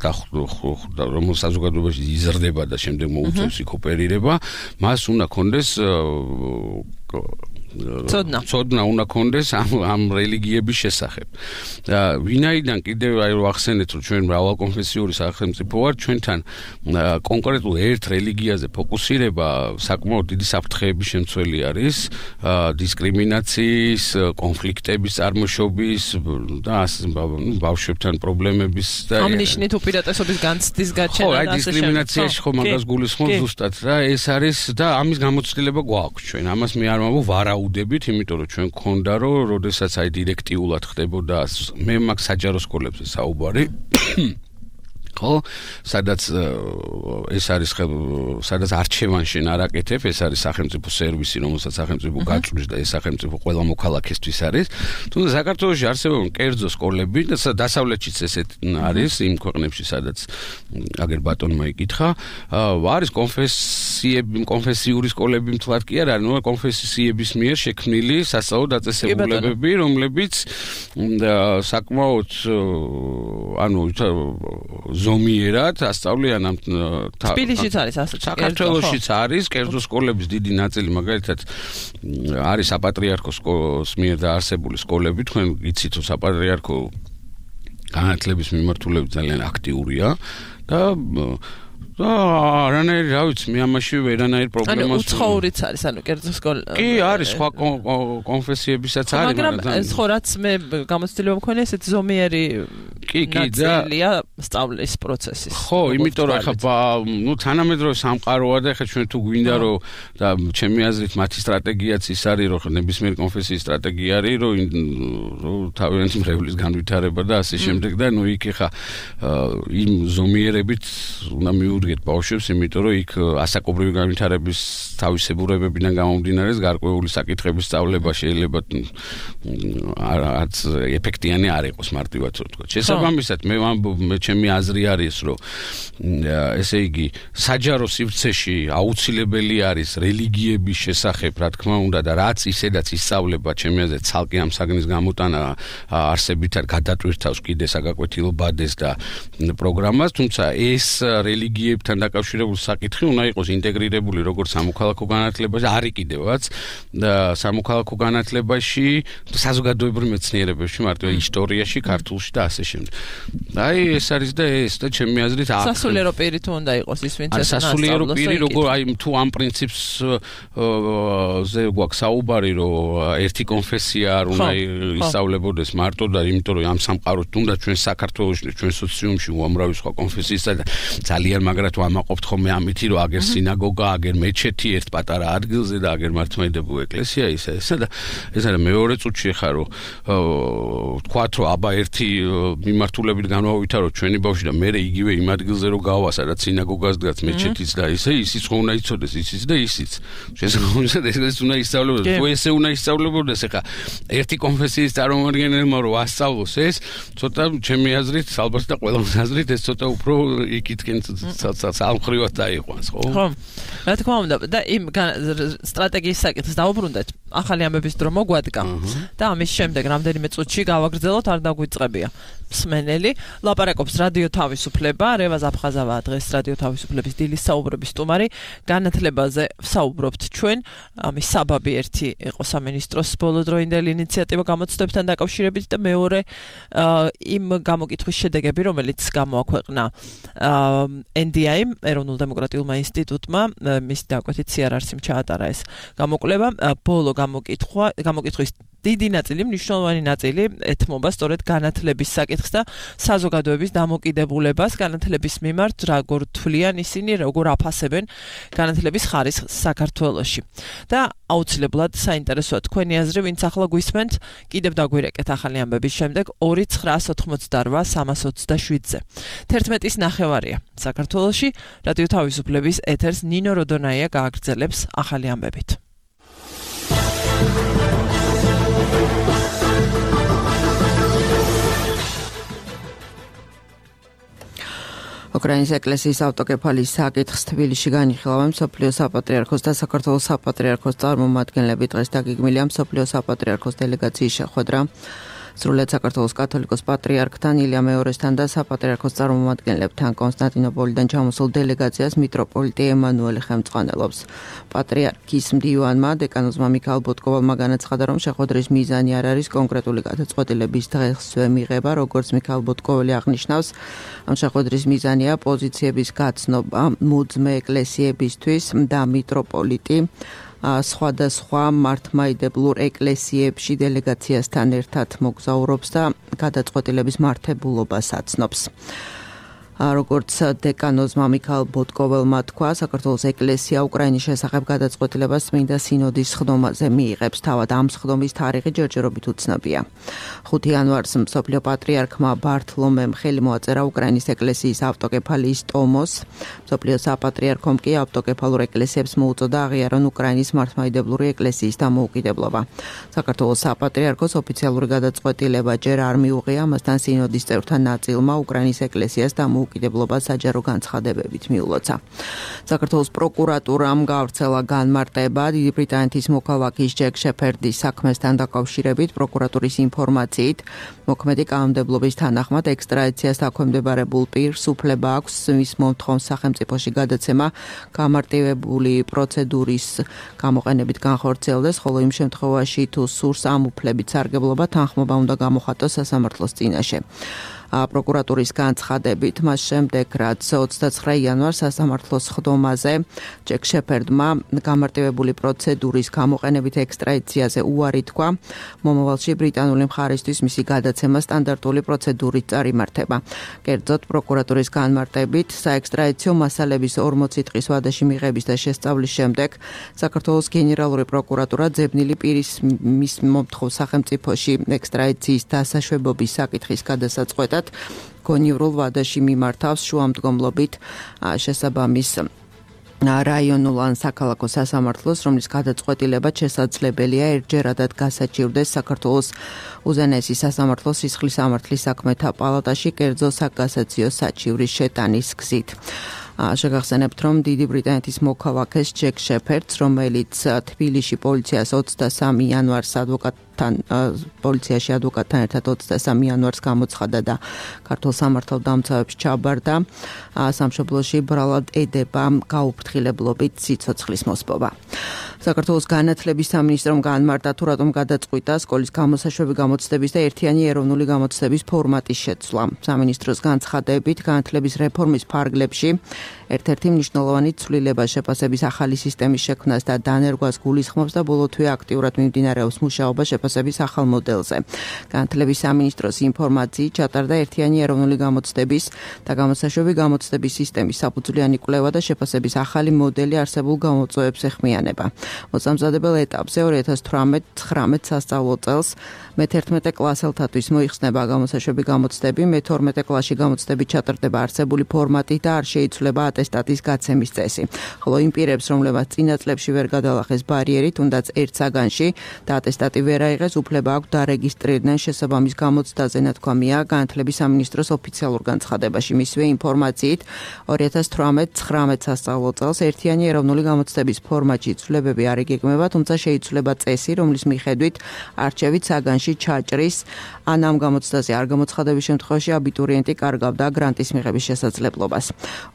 [SPEAKER 3] რომ საზოგადოებაში იზრდება და შემდეგ მოუწევს იქ ოპერირება მას უნდა კონდეს
[SPEAKER 2] ცოდნა
[SPEAKER 3] ცოდნა უნდა კონდეს ამ ამ რელიგიების შესახებ და ვინაიდან კიდევ აი რომ ახსენეთ რომ ჩვენ მრავალკონფესიური სახელმწიფო ვარ ჩვენთან კონკრეტულ ერთ რელიგიაზე ფოკუსირება საკმაოდ დიდი საფრთხეების შემცველი არის დისკრიმინაციის კონფლიქტების წარმოშობის და ბავშვებთან პრობლემების და
[SPEAKER 2] ამნიშნით უპირატესობის განცდის გაჩენა
[SPEAKER 3] და ასე შემდეგ. ხო, აი დისკრიმინაციაში ხო მაგას გულისხმობ ზუსტად რა ეს არის და ამის გამოცდილება გვაქვს ჩვენ. ამას მე არ ვამბობ ვარაუდებით, იმიტომ რომ ჩვენ გქონდა რომ როდესაც აი დირექტიულად ხდებოდა მე მაგ საჯარო სკოლებზე საუბარი ხო სადაც ეს არის სადაც არჩევანში არაკეთებ ეს არის სახელმწიფო სერვისი რომელსაც სახელმწიფო გაწვდის და ეს სახელმწიფო ყველა მოქალაქისთვის არის თუმცა საქართველოში არსებობენ კერძო სკოლები და დასავლეთშიც ესეთ არის იმ ქვეყნებში სადაც აგერ ბატონმა იკითხა არის კონფესიები კონფესიური სკოლები მთლად კი არ არის ნუ კონფესიების მიერ შექმნილი სასწავლო დაწესებულებები რომლებიც საკმაოდ ანუ ზომიერად ასწავლიან ამ
[SPEAKER 2] თბილისშიც არის ასე
[SPEAKER 3] საქართველოშიც არის კერძო სკოლების დიდი ნაწილი მაგალითად არის საპატრიარქოს მიერ დაარსებული სკოლები თქვენ იცით რომ საპატრიარქო განათლების მიმართულებით ძალიან აქტიურია და და არანაირი რა ვიცი მე ამაში ვერანაირ პრობლემას
[SPEAKER 2] ანუ უცხოურიც არის ანუ კერძო სკოლა
[SPEAKER 3] კი არის სხვა კონფესიებისაც არის
[SPEAKER 2] მაგრამ ეს ხო რაც მე გამოცდილება მქონია ესეთ ზომიერი
[SPEAKER 3] კი კი და
[SPEAKER 2] სწავლის პროცესის
[SPEAKER 3] ხო იმიტომ რომ ახლა ნუ თანამედროვე სამყაროა და ახლა ჩვენ თუ გვინდა რომ და ჩემი აზრით მათი სტრატეგიაც ის არის რომ ნებისმიერი კონფესიის სტრატეგია არის რომ თავიანთი მრევლის განვითარება და ასე შემდეგ და ნუ იქ ახლა იმ ზომიერებით უნდა მიუდგეთ ბავშვებს, იმიტომ რომ იქ ასაკობრივი განვითარების თავისებურებებიდან გამომდინარე გარკვეული საკითხების სწავლება შეიძლება არც ეფექტიანი არ იყოს მარტივად ვთქვათ. შესაბამისად მე ვამბობ მე ჩემი აზრი არის რომ ესე იგი საჯარო სივრცეში აუცილებელი არის რელიგიების შესახებ რა თქმა უნდა და რაც ისედაც ისწავლება ჩემი აზრით ცალკე ამ საგნის გამოტანა არსებით არ გადატვირთავს კიდე საგაკვეთილო ბადეს და პროგრამას თუმცა ეს რელიგიებთან დაკავშირებული საკითხი უნდა იყოს ინტეგრირებული როგორც სამოქალაქო განათლებაში, არის კიდევაც და სამოქალაქო განათლებაში, საზოგადოებრივ მეცნიერებებში, მარტივად ისტორიაში, ქართულში და ასე შემდეგ. აი ეს არის და ეს და ჩემი აზრით
[SPEAKER 2] სასულიერო პირი თუ უნდა იყოს ის ვინც ეს
[SPEAKER 3] სასულიერო პირი როგორ აი თუ ამ პრინციპს ზე გვაქვს საუბარი რომ ერთი კონფესია არ უნდა ისწავლებოდეს მარტო და იმიტომ რომ ამ სამყაროს თუნდაც ჩვენ საქართველოში ჩვენ სოციუმში უამრავი სხვა კონფესიისა და ძალიან მაგრად ვამაყობთ ხოლმე ამითი რომ აგერ სინაგოგა, აგერ მეჩეთი ერთ პატარა ადგილზე და აგერ მართლმადიდებლური ეკლესია ისა ესა და ეს არის მეორე წუთში ხა რომ თქვათ რომ აბა ერთი მიმართულებით განვავითარო ჩვენი ბავშვი და მე იგივე იმ ადგილზე რომ გავა სადაც სინაგოგას დგას მეჩეთიც და ისე ისიც ხო უნდა იცოდეს ისიც და ისიც შესაძლოა ეს უნდა ისწავლებოდეს თუ ესე უნდა ისწავლებოდეს ხა ერთი კონფესიის წარმომადგენელმა რომ ასწავლოს ეს ცოტა ჩემი აზრით ალბათ და ყველას აზრით ეს ცოტა უფრო იქითკენ სამხრივად დაიყვანს ხო?
[SPEAKER 2] ხო. რა თქმა უნდა და იმ სტრატეგიის საკითხს დაუბრუნდეთ. ახალი ამბების დრო მოგვადგა და ამის შემდეგ რამდენიმე წუთში გავაგრძელოთ, არ დაგვიწყებია მსმენელი. ლაპარაკობს რადიო თავისუფლება, რევაზ აფხაზავა დღეს რადიო თავისუფლების დილის საუბრების სტუმარი. განათლებაზე ვსაუბრობთ ჩვენ. ამის საბაბი ერთი იყო სამინისტროს ბოლოდროინდელი ინიციატივა გამოცდებთან დაკავშირებით და მეორე იმ გამოკითხვის შედეგები, რომელიც გამოაქვეყნა ენ დი აი ეროვნულ დემოკრატიულმა ინსტიტუტმა, მის დაკვეთით სიარარსიმ ჩაატარა ეს გამოკვლევა. ბოლო გამოკითხვა, გამოკითხვის დიდი ნაწილი, მნიშვნელოვანი ნაწილი ეთმობა სწორედ განათლების საკითხს და საზოგადოების დამოკიდებულებას განათლების მიმართ, როგორ თვლიან ისინი, როგორ აფასებენ განათლების ხარისხს საქართველოში. და აუცილებლად საინტერესოა თქვენი აზრი, ვინც ახლა გვისმენთ, კიდევ დაგვირეკეთ ახალი ამბების შემდეგ ორი ცხრაას ოთხმოცდარვა სამას ოცდაშვიდზე. თერთმეტის ნახევარია საქართველოში, რადიო თავისუფლების ეთერს ნინო როდონაია გააგრძელებს ახალი ამბებით.
[SPEAKER 7] უკრაინის ეკლესიის ავტოკეფალის საკითხს თბილისში განიხილავენ მსოფლიოს საპატრიარქოს და საქართველოს საპატრიარქოს წარმომადგენლები. დღეს დაგეგმილია მსოფლიოს საპატრიარქოს დელეგაციის შეხვედრა. სრულად საქართველოს კათოლიკოს პატრიარქთან, ილია მეორესთან და საპატრიარქოს წარმომადგენლებთან კონსტანტინოპოლიდან ჩამოსულ დელეგაციას მიტროპოლიტი ემანუელი ხელმძღვანელობს. პატრიარქის მდივანმა დეკანოზმა მიქაელ ბოტკოვალმა განაცხადა, რომ შეხვედრის მიზანი არ არის კონკრეტული გადაწყვეტილების დღესვე მიღება, როგორც მიქაელ ბოტკოვალი აღნიშნავს. ამ შეხვედრის მიზანია პოზიციების გაცნობა მუძმე ეკლესიებისთვის და მიტროპოლიტი სხვადასხვა მართლმადიდებლურ ეკლესიებში დელეგაციასთან ერთად მოგზაურობს და გადაწყვეტილების მართებულობას აცნობს. როგორც დეკანოზმა მიქაელ ბოტკოველმა თქვა, საქართველოს ეკლესია უკრაინის შესახებ გადაწყვეტილებას წმინდა სინოდის სხდომაზე მიიღებს. თავად ამ სხდომის თარიღი ჯერჯერობით უცნობია. ხუთი იანვარს მსოფლიო პატრიარქმა ბართლომემ ხელი მოაწერა უკრაინის ეკლესიის ავტოკეფალიის ტომოს. მსოფლიო საპატრიარქომ კი ავტოკეფალურ ეკლესიებს მოუწოდა აღიარონ უკრაინის მართლმადიდებლური ეკლესიის დამოუკიდებლობა. საქართველოს საპატრიარქოს ოფიციალური გადაწყვეტილება ჯერ არ მიუღია, ამასთან სინოდის წევრთა ნაწილმა უკრაინის ეკლესიას დამოუკიდებლობა უკიდებლობა საჯარო განცხადებებით მიულოცა. საქართველოს პროკურატურამ გავრცელა განმარტება დიდი ბრიტანეთის მოქალაქის ჯეკ შეფერდის საქმესთან დაკავშირებით. პროკურატურის ინფორმაციით, მოქმედი კანონმდებლობის თანახმად ექსტრადიციას დაქვემდებარებულ პირს უფლება აქვს მის მომთხოვს სახელმწიფოში გადაცემა გამარტივებული პროცედურის გამოყენებით განხორციელდეს, ხოლო იმ შემთხვევაში თუ სურს ამ უფლებით სარგებლობა, თანხმობა უნდა გამოხატოს სასამართლოს წინაშე. პროკურატურის განცხადებით, მას შემდეგ, რაც ოცდაცხრა იანვარს სასამართლოს სხდომაზე ჯეკ შეფერდმა გამარტივებული პროცედურის გამოყენებით ექსტრადიციაზე უარი თქვა, მომავალში ბრიტანული მხარისთვის მისი გადაცემა სტანდარტული პროცედურით წარიმართება. კერძოდ, პროკურატურის განმარტებით, საექსტრადიციო მასალების ორმოცი დღის ვადაში მიღების და შესწავლის შემდეგ საქართველოს გენერალური პროკურატურა ძებნილი პირის მის მომთხოვ სახელმწიფოში ექსტრადიციის დასაშვებობის საკითხის გადასაწყვეტად გონივრულ ვადაში მიმართავს შუამდგომლობით შესაბამის რაიონულ ან საქალაქო სასამართლოს, რომლის გადაწყვეტილება შესაძლებელია ერთჯერადად გასაჩივრდეს საქართველოს უზენაესი სასამართლოს სისხლის სამართლის საქმეთა პალატაში კერძო საკასაციო საჩივრის შეტანის გზით. შეგახსენებთ, რომ დიდი ბრიტანეთის მოქალაქეს ჯეკ შეფერდს, რომელიც თბილისში პოლიციას ოცდასამი იანვარს ადვოკატთან პოლიციაში ადვოკატთან ერთად ოცდასამი იანვარს გამოცხადა და ქართულ სამართალდამცავებში ჩაბარდა, სამშობლოში ბრალად ედება გაუფრთხილებლობით სიცოცხლის მოსპობა. საქართველოს განათლების სამინისტრომ განმარტა, თუ რატომ გადაწყვიტა სკოლის გამოსაშვები გამოცდების და ერთიანი ეროვნული გამოცდების ფორმატის შეცვლა. სამინისტროს განცხადებით, განათლების რეფორმის ფარგლებში ერთ-ერთი მნიშვნელოვანი ცვლილება შეფასების ახალი სისტემის შექმნას და დანერგვას გულისხმობს და ბოლო თვე აქტიურად მიმდინარეობს მუშაობა შეფასების ახალ მოდელზე. განათლების სამინისტროს ინფორმაციით ჩატარდა ერთიანი ეროვნული გამოცდების და გამოსაშვები გამოცდების სისტემის საფუძვლიანი კვლევა და შეფასების ახალი მოდელი არსებულ გამოწვევებს ეხმიანება. მოსამზადებელ ეტაპზე ორი ათას თვრამეტ ცხრამეტ სასწავლო წელს მეთერთმეტე კლასელთათვის მოიხსნება გამოსაშვები გამოცდები, მეთორმეტე კლასში გამოცდები ჩატარდება არსებული ფორმატით და არ შეიცვლება ატესტატის გაცემის წესი. ხოლო იმ პირებს, რომლებმაც წინა წლებში ვერ გადალახეს ბარიერი, თუნდაც ერთ საგანში და ატესტატი ვერ აიღეს, უფლება აქვს დარეგისტრირდნენ შესაბამის გამოცდაზე, ნათქვამია განათლების სამინისტროს ოფიციალურ განცხადებაში. მისივე ინფორმაციით, ორი ათას თვრამეტ ცხრამეტ სასწავლო წელს ერთიანი ეროვნული გამოცდების ფორმატში ცვლილებები განცხადებები არ იგეგმება, თუმცა შეიცვლება წესი, რომლის მიხედვით არჩევით საგანში ჩაჭრის ან ამ გამოცდაზე არ გამოცხადების შემთხვევაში აბიტურიენტი კარგავდა გრანტის მიღების შესაძლებლობას.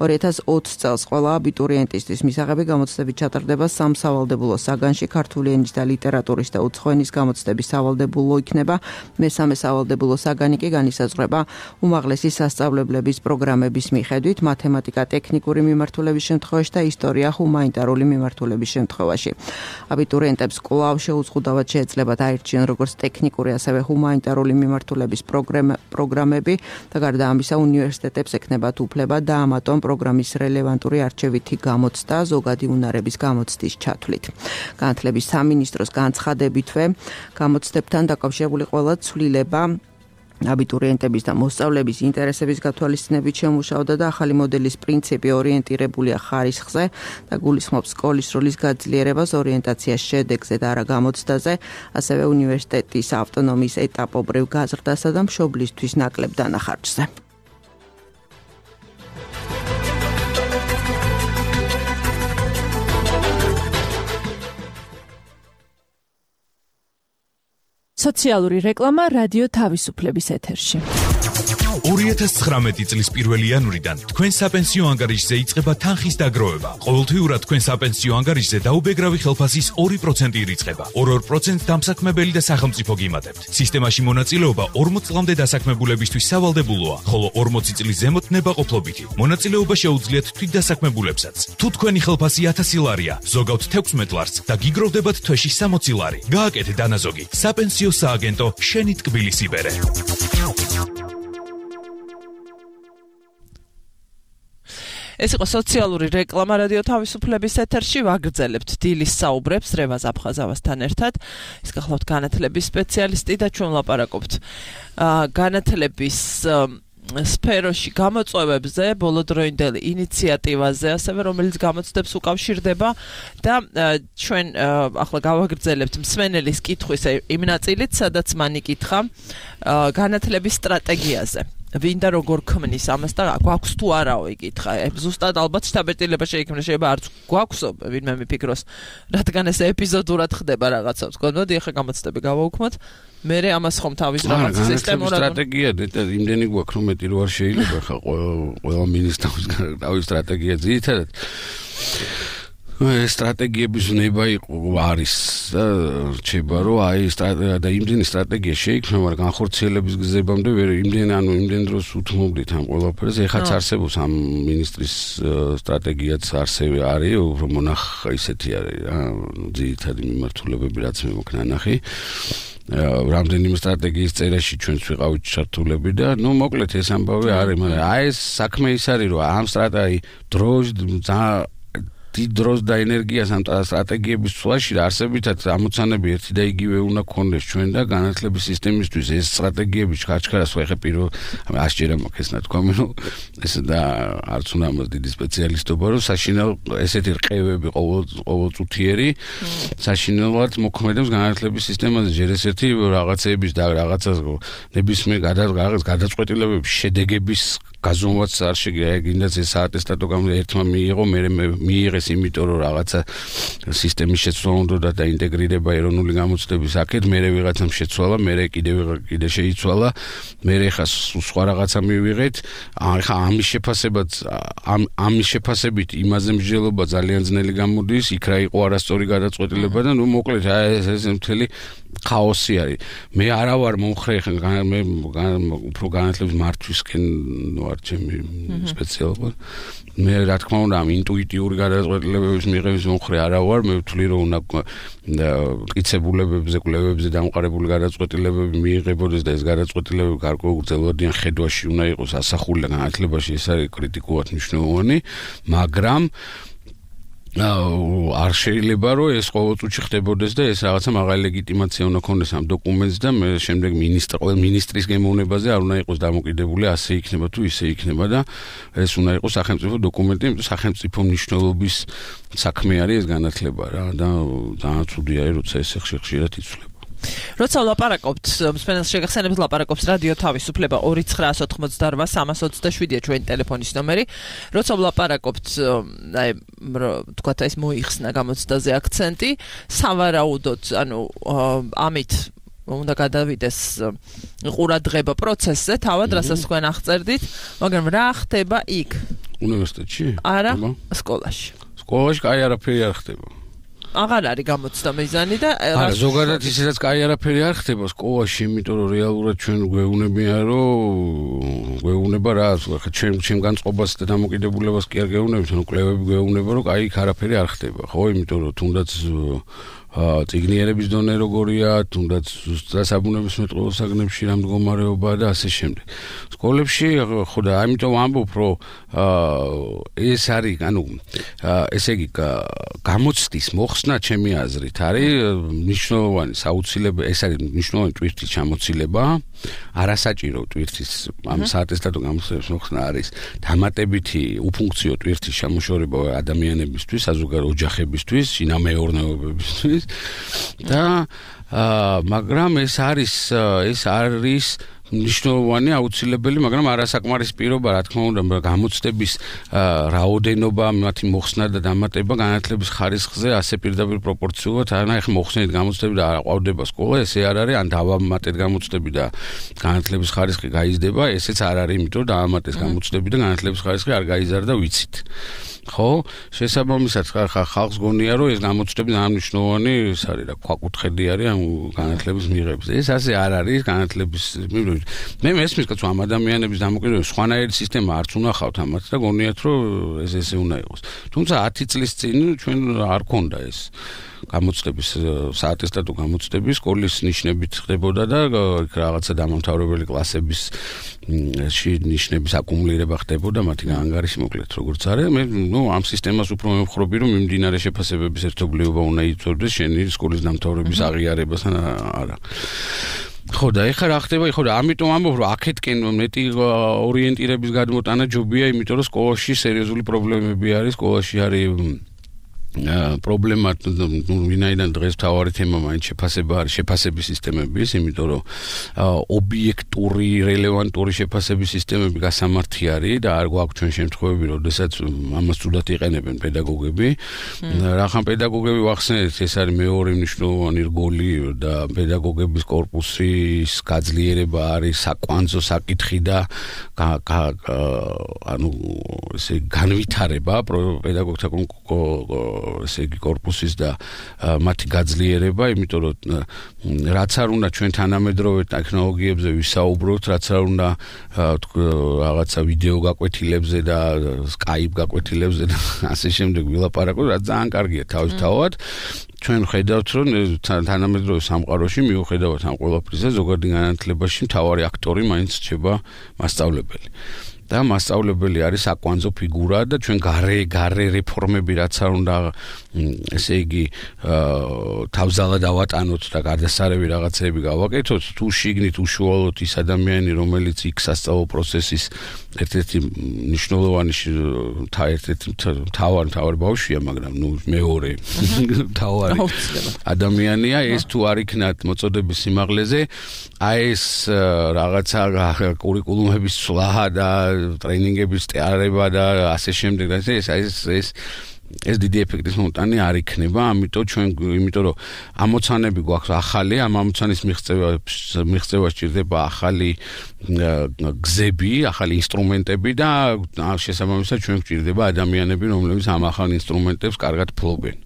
[SPEAKER 7] ორი ათას ოცი წელს ყველა აბიტურიენტისთვის მისაღები გამოცდები ჩატარდება სამსავალდებულო საგანში, ქართული ენის და ლიტერატურის და უცხო ენის გამოცდების სავალდებულო იქნება. მესამე სავალდებულო საგანი კი განისაზღვრება უმაღლესი სასწავლებლების პროგრამების მიხედვით, მათემატიკა ტექნიკური მიმართულების შემთხვევაში და ისტორია ჰუმანიტარული მიმართულების შემთხვევაში. აბიტურიენტებს კვლავ შეუზღუდავად შეეძლებათ აირჩიონ როგორც ტექნიკური, ასევე ჰუმანიტარული მიმართულების პროგრამები და გარდა ამისა უნივერსიტეტებს ექნებათ უფლება დაამატონ პროგრამის რელევანტური არჩევითი გამოცდა ზოგადი უნარების გამოცდის ჩათვლით. განათლების სამინისტროს განცხადებითვე გამოცდებთან დაკავშირებული ყველა ცვლილება აბიტურიენტების და მოსწავლების ინტერესების გათვალისწინებით შემუშავდა და ახალი მოდელის პრინციპი ორიენტირებულია ხარისხზე და გულისხმობს სკოლის როლის გაძლიერებას ორიენტაციის შედეგზე და არა გამოცდაზე, ასევე უნივერსიტეტის ავტონომიის ეტაპობრივ გაზრდასა და მშობლისთვის ნაკლებ დანახარჯზე.
[SPEAKER 8] სოციალური რეკლამა რადიო თავისუფლების ეთერში.
[SPEAKER 9] ორი ათას ცხრამეტი წლის პირველი იანვრიდან თქვენ საპენსიო ანგარიშზე იწყება თანხის დაგროვება. ყოველთვიურად თქვენ საპენსიო ანგარიშზე დაუბეგრავი ხელფასის ორი პროცენტი ირიცხება. ორ-ორ პროცენტს დამსაქმებელი და სახელმწიფო გიმატებთ. სისტემაში მონაწილეობა ორმოც წლამდე დასაქმებულებისთვის სავალდებულოა, ხოლო ორმოცი წლის ზემოთ ნებაყოფლობითი. მონაწილეობა შეუძლიათ თვითდასაქმებულებსაც. თუ თქვენი ხელფასი ათასი ლარია, ზოგავთ თექვსმეტ ლარს და გიგროვდებათ თვეში სამოცი ლარი. გააკეთე დანაზოგი. საპენსიო სააგენტო შენი ტკბილის იბერე.
[SPEAKER 2] ეს იყო სოციალური რეკლამა რადიო თავისუფლების ეთერში. ვაგრძელებთ დილის საუბრებს რევაზ აფხაზავასთან ერთად. ის გახლავთ განათლების სპეციალისტი და ჩვენ ვლაპარაკობთ განათლების სფეროში გამოწვევებზე, ბოლოდროინდელ ინიციატივაზე, ასევე რომელიც გამოცდებს უკავშირდება და ჩვენ ახლა გავაგრძელებთ მსმენელის კითხვის იმ ნაწილით, სადაც მან იკითხა განათლების სტრატეგიაზე. ვინდა როგორ ქმნის ამას და გვაქვს თუ არაო იკითხა. ზუსტად ალბათ შთაბეჭდილება შეიქმნა, შეიძლება არც გვაქვსო, ვინმე მიფიქროს, რადგან ეს ეპიზოდურად ხდება რაღაცა. გქონდოდი ახლა გამოცდები გავაუქმოთ. მე ამას ხომ თავის რაღაც სისტემურად
[SPEAKER 3] სტრატეგია და იმდენი გვაქვს, რომ მეტი რო არ შეიძლება ხა ყველა მინისტრის თავის სტრატეგია ძირითადად სტრატეგიების ნება იყო არის და რჩება რომ აი და იმდენი სტრატეგია შეიქმნა, მაგრამ განხორციელების გზებამდე ვერ იმდენ ანუ იმდენ დროს უთმობდით ამ ყველაფერს. ეხაც არსებობს ამ მინისტრის სტრატეგიაც არსებია არის, უფრო მონახ ისეთი არის რა, ძირითადი მიმართულებები რაც მე მოკნა ნახი. რამდენიმე სტრატეგიის წერაში ჩვენც ვიყავით ჩართულები და ნუ მოკლედ ეს ამბავი არის, მაგრამ აი ეს საქმე ის არის რომ ამ სტრატეგიი დროშ დიდ დროს და ენერგიას ამ სტრატეგიების ცვლაში არსებითად ამოცანები ერთი და იგივე უნდა გქონდეს ჩვენ და განათლების სისტემისთვის ეს სტრატეგიები ჩქარჩქარას ვეხე პირველ ასჯერა მოქეს ნათქვამი რომ ეს და არც უნდა ამას დიდი სპეციალისტობა რომ საშინელ ესეთი რყევები ყოველ ყოველწუთიერი საშინელად მოქმედებს განათლების სისტემაზე ჯერ ესეთი რაღაცეების და რაღაცას ნებისმიერ გადაწყვეტილებების შედეგების გაზომვაც არ შეგიძლია გინდაც ეს საატესტატო გამო ერთმა მიიღო მე მიიღეს იმიტომ რომ რაღაცა სისტემის შეცვლა უნდა და ინტეგრირება ეროვნული გამოცდების აქეთ მე ვიღაცამ შეცვალა მე კიდე კიდე შეიცვალა მე ხა სხვა რაღაცა მივიღეთ ხა ამის შეფასებაც ამ ამის შეფასებით იმაზე მსჯელობა ძალიან ძნელი გამოდის იქ რა იყო არასწორი გადაწყვეტილება და ნუ მოკლედ ეს ეს მთელი ხაოსი არის მე არა ვარ მომხრე მე უფრო განათლების მართვისკენ ვარ ჩემი სპეციალობა მე რა თქმა უნდა ამ ინტუიტიური გადაწყვეტილებების მიღების მომხრე არა ვარ მე ვთვლი რომ უნდა მტკიცებულებებზე კვლევებზე დამყარებული გადაწყვეტილებები მიიღებოდეს და ეს გადაწყვეტილებები გარკვეულწილადიან ხედვაში უნდა იყოს ასახული და განათლებაში ეს არის კრიტიკულად მნიშვნელოვანი მაგრამ არ შეიძლება რომ ეს ყოველწუთში ხდებოდეს და ეს რაღაცა მაღალი ლეგიტიმაცია უნდა ქონდეს ამ დოკუმენტს და მე შემდეგ მინისტრი ყოველ მინისტრის გემოვნებაზე არ უნდა იყოს დამოკიდებული ასე იქნება თუ ისე იქნება და ეს უნდა იყოს სახელმწიფო დოკუმენტი სახელმწიფო მნიშვნელობის საქმე არის ეს განათლება რა და ძალიან ცუდია როცა ეს ხშირად იცვლება
[SPEAKER 2] როცა ვლაპარაკობთ, მსმენელს შეგახსენებთ ლაპარაკობს რადიო თავისუფლება ორი ცხრაას ოთხმოცდაორვა სამას ოცდაშვიდია ჩვენი ტელეფონის ნომერი. როცა ვლაპარაკობთ, აი, თქვათ ეს მოიხსნა გამოცდაზე აქცენტი, სავარაუდოდ, ანუ ამით უნდა გადავიდეს ყურადღება პროცესზე, თავად რასაც თქვენ აღწერდით, მაგრამ რა ხდება იქ?
[SPEAKER 3] უნივერსიტეტში?
[SPEAKER 2] არა, სკოლაში.
[SPEAKER 3] სკოლაში კაი არაფერი არ ხდება.
[SPEAKER 2] აღარ არის გამოცდა მიზანი და
[SPEAKER 3] არა, ზოგადად ისედაც კაი არაფერი არ ხდება სკოლაში, იმიტომ რომ რეალურად ჩვენ გვეუბნებიან, რომ გვეუბნება რა, ხა ჩვენ ჩვენ განწყობას და დამოკიდებულებას კი არ გეუბნებით, ანუ კვლევები გვეუბნება, რომ კაი იქ არაფერი არ ხდება, ხო, იმიტომ რომ თუნდაც წიგნიერების დონე როგორია, თუნდაც დასაბუნებისმეტყველო საგნებში რა მდგომარეობაა და ასე შემდეგ. სკოლებში ხო და ამიტომ ამბობ, რომ ეს არის, ანუ ესე იგი გამოცდის მოხსნა ჩემი აზრით არის მნიშვნელოვანი საუცილებელი, ეს არის მნიშვნელოვანი ტვირთის ჩამოცილება, არასაჭირო ტვირთის ამ საატესტატო გამოცდების მოხსნა არის დამატებითი უფუნქციო ტვირთის ჩამოშორება ადამიანებისთვის, საზოგადო ოჯახებისთვის, შინამეურნეობებისთვის და მაგრამ ეს არის ეს არის მნიშვნელოვანი აუცილებელი, მაგრამ არასაკმარის პირობა, რა თქმა უნდა, გამოცდების რაოდენობა, მათი მოხსნა და დამატება განათლების ხარისხზე ასე პირდაპირ პროპორციულად, ან ახლა მოხსნით გამოცდები და არ ყვავდება სკოლა, ესე არ არის, ან დავამატეთ გამოცდები და განათლების ხარისხი გაიზრდება, ესეც არ არის, იმიტომ რომ დავამატეთ გამოცდები და განათლების ხარისხი არ გაიზარდა, ვიცით. ხო, შესაბამისად ხალხს გონია, რომ ეს გამოცდები დანიშნულოვანი ის არის რა, ქვაკუთხედი არის ამ განათლების მიღების. ეს ასე არ არის განათლების მიღების. მე მესმის, რომ ამ ადამიანების დამოკიდებულება სხვანაირი სისტემა არც უნახავთ ამათ და გონიათ, რომ ეს ესე უნდა იყოს. თუმცა ათი წლის წინ ჩვენ არ ქონდა ეს გამოცდების საატესტატო გამოცდები სკოლის ნიშნებით ხდებოდა და რაღაცა დამამთავრებელი კლასების ნიშნების აკუმულირება ხდებოდა მათი ანგარიში მოკლედ როგორც არის. მე ნუ ამ სისტემას უფრო მევხრობი, რომ მიმდინარე შეფასებების ერთობლიობა უნდა იწოდდეს შენი სკოლის დამთავრების აღიარებასთან არა. ხო და ეხლა რა ხდება? ხო და ამიტომ ამბობ, რომ აქეთკენ მეტი ორიენტირების გადმოტანა ჯობია, იმიტომ რომ სკოლაში სერიოზული პრობლემები არის, სკოლაში არის პრობლემა, ნუ ვინაიდან დღეს თავარი თემა მაინც შეფასება არის, შეფასების სისტემების, იმიტომ რომ ობიექტური, რელევანტური შეფასების სისტემები გასამართი არის და არ გვაქვს ჩვენ შემთხვევები, როდესაც ამას თუდად იყენებენ პედაგოგები. რახან პედაგოგები ვახსენეთ, ეს არის მეორე მნიშვნელოვანი რგოლი და პედაგოგების კორპუსის გაძლიერება არის საკვანძო საკითხი და ანუ ესე განვითარება პედაგოგთა ესე იგი კორპუსის და მათი გაძლიერება, იმიტომ რომ რაც არ უნდა ჩვენ თანამედროვე ტექნოლოგიებზე ვისაუბროთ, რაც არ უნდა რაღაცა ვიდეო გაკვეთილებზე და Skype გაკვეთილებზე და ასე შემდეგ ვილაპარაკოთ, რაც ძალიან კარგია თავისთავად. ჩვენ ხედავთ, რომ თანამედროვე სამყაროში მიუხედავად ამ ყველაფრისა, ზოგადი განათლებაში მთავარი აქტორი მაინც რჩება მასწავლებელი. და მასწავლებელი არის საკვანძო ფიგურა და ჩვენ გარე გარე რეფორმები რაც არ უნდა ესე იგი თავზალად ავატანოთ და გარდასარევი რაღაცები გავაკეთოთ, თუ შიგნით უშუალოდ ის ადამიანი, რომელიც იქ სასწავლო პროცესის ერთ-ერთი მნიშვნელოვანი ერთ-ერთი თავარი თავარი ბავშვია, მაგრამ ნუ მეორე თავარი ადამიანია, ეს თუ არ იქნათ მოწოდების სიმაღლეზე, აი ეს რაღაცა კურიკულუმების ცვლა და ტრეინინგების ტეარება და ასე შემდეგ და ეს ეს ეს ეს დიდი ეფექტის მომტანი არ იქნება, ამიტომ ჩვენ იმიტომ რომ ამოცანები გვაქვს ახალი, ამ ამოცანის მიღწევა მიღწევა სჭირდება ახალი გზები, ახალი ინსტრუმენტები და შესაბამისად ჩვენ გვჭირდება ადამიანები, რომლებიც ამ ახალ ინსტრუმენტებს კარგად ფლობენ.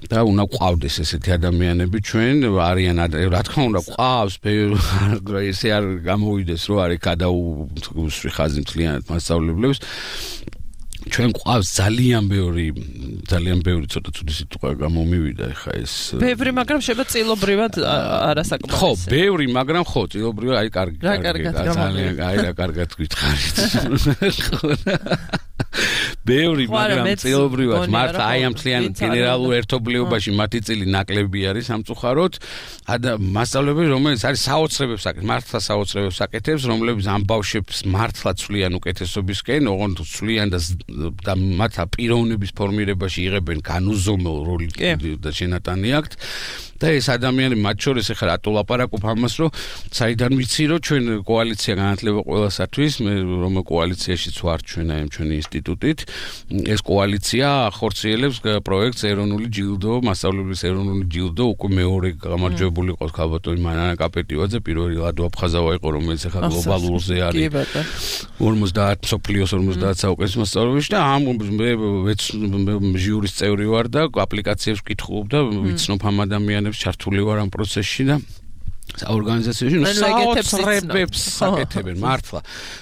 [SPEAKER 3] და უნდა ყავდეს ესეთი ადამიანები ჩვენ არიან რა თქმა უნდა ყავს ესე არ გამოვიდეს რომ არის გადაუსვი ხაზი მთლიანად მასწავლებლებს ჩვენ ყავს ძალიან ბევრი ძალიან ბევრი ცოტა ცუდი სიტყვა გამომივიდა ეხა ეს
[SPEAKER 2] ბევრი მაგრამ შეიძლება წილობრივად არასაკმარისი
[SPEAKER 3] ხო ბევრი მაგრამ ხო წილობრივად აი კარგი ძალიან აი რა კარგად გითხარით ბევრი მაგრამ წილობრივად მართლა აი ამ მთლიან გენერალურ ერთობლიობაში მათი წილი ნაკლები არის სამწუხაროდ და მასწავლებელი რომელიც არის საოცრებებს აკეთებს მართლა საოცრებებს აკეთებს რომლებიც ამ ბავშვებს მართლა ცვლიან უკეთესობისკენ ოღონდ ცვლიან და მათ პიროვნების ფორმირებაში იღებენ განუზომელ როლი და შენატანი აქვთ და ეს ადამიანი მათ შორის ეხლა რატო ლაპარაკობ ამას, რომ საიდან ვიცი, რომ ჩვენ კოალიცია განათლება ყველასათვის, მე რომ კოალიციაშიც ვარ ჩვენ აი ჩვენი ინსტიტუტით, ეს კოალიცია ახორციელებს პროექტს ეროვნული ჯილდო, მასწავლებლის ეროვნული ჯილდო, უკვე მეორე გამარჯვებული ყავს ქალბატონი მანანა კაპეტივაძე, პირველი ლადო აფხაზავა იყო, რომელიც ეხლა გლობალურზე არის ორმოცდაათ სოფლიოს ორმოცდაათ საუკეთესო მასწავლებელში და ამ მე ჟიურის წევრი ვარ და აპლიკაციებს ვკითხულობ და ვიცნობ ამ ადამიანებს, ჩართული ვარ ამ პროცესში და ორგანიზაციაში ნუ საოცრებებს საკეთებენ მართლა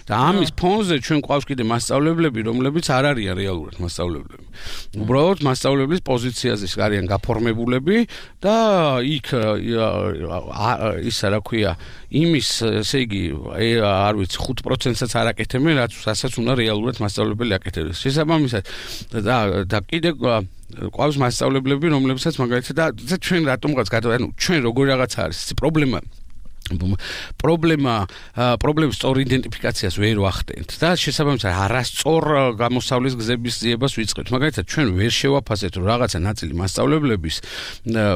[SPEAKER 3] და ამის ფონზე ჩვენ ყავს კიდე მასწავლებლები, რომლებიც არ არიან რეალურად მასწავლებლები. უბრალოდ მასწავლებლის პოზიციაზე არიან გაფორმებულები და იქ ისა რა ქვია იმის ესე იგი არ ვიცი ხუთ პროცენტსაც არ აკეთებენ, რასაც უნდა რეალურად მასწავლებელი აკეთებდეს. შესაბამისად და და კიდე ყავს მასწავლებლები, რომლებსაც მაგალითად და ჩვენ რატომღაც გადავ ანუ ჩვენ როგორ რაღაცა არის პრობლემა პრობლემა პრობლემის სწორ იდენტიფიკაციას ვერ ვახდენთ და შესაბამისად არასწორ გამოსავლის გზების ძიებას ვიწყებთ. მაგალითად ჩვენ ვერ შევაფასებთ რომ რაღაცა ნაწილი მასწავლებლების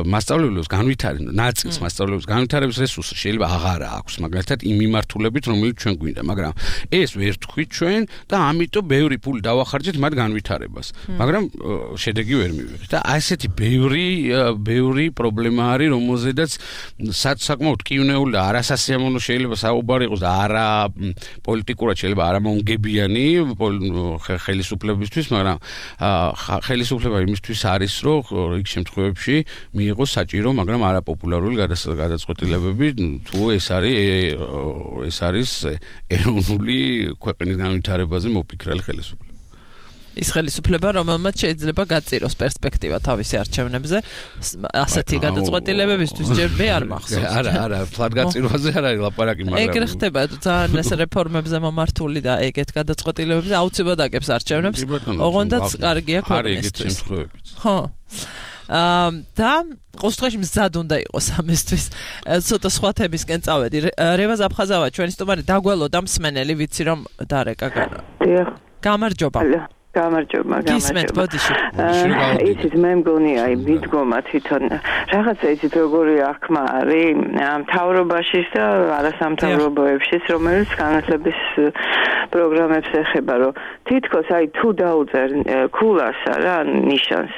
[SPEAKER 3] მასწავლებლებს განვითარების ნაწილს მასწავლებლებს განვითარების რესურსი შეიძლება აღარა აქვს მაგალითად იმ მიმართულებით რომელიც ჩვენ გვინდა, მაგრამ ეს ვერ თქვით ჩვენ და ამიტომ ბევრი ფული დავახარჯეთ მათ განვითარებას, მაგრამ შედეგი ვერ მივიღეთ და ასეთი ბევრი ბევრი პრობლემა არის, რომელზედაც საკმაოდ კივნეული და არასასიამოვნო შეიძლება საუბარი იყოს და არა პოლიტიკურად შეიძლება არამონგებიანი ხელისუფლებისთვის, მაგრამ ხელისუფლება იმისთვის არის, რომ იქ შემთხვევებში მიიღოს საჭირო, მაგრამ არაპოპულარული გადაწყვეტილებები, თუ ეს არის ეს არის ეროვნული ქვეყნის განვითარებაზე მოფიქრალი ხელისუფლება.
[SPEAKER 2] ის ხელისუფლება, რომელმაც შეიძლება გაწიროს პერსპექტივა თავისი არჩევნებზე, ასეთი გადაწყვეტილებებისთვის ჯერ მე არ მახსოვს.
[SPEAKER 3] არა, არა, ფლად გაწირვაზე არ არის ლაპარაკი, მაგრამ
[SPEAKER 2] ეგრე ხდება ძალიან ეს რეფორმებზე მომართული და ეგეთ გადაწყვეტილებებზე აუცილებლად აკეთებს არჩევნებს, ოღონდაც კარგია ქვეყნისთვის. ხო. აა და ყოველთვის მზად უნდა იყოს ამისთვის. ცოტა სხვა თემისკენ წავედი. რევაზ აფხაზავა, ჩვენი სტუმარი დაგველოდა მსმენელი, ვიცი რომ დარეკა განა.
[SPEAKER 10] დიახ.
[SPEAKER 2] გამარჯობა.
[SPEAKER 10] გამარჯობა, გამარჯობა. ისიც მე მგონი აი მიდგომა თვითონ რაღაცა ისიც როგორი აღქმა არის მთავრობაშიც და არასამთავრობოებშიც, რომელიც განათლების პროგრამებს ეხება, რომ თითქოს აი თუ დაუწერ ქულასა რა ნიშანს,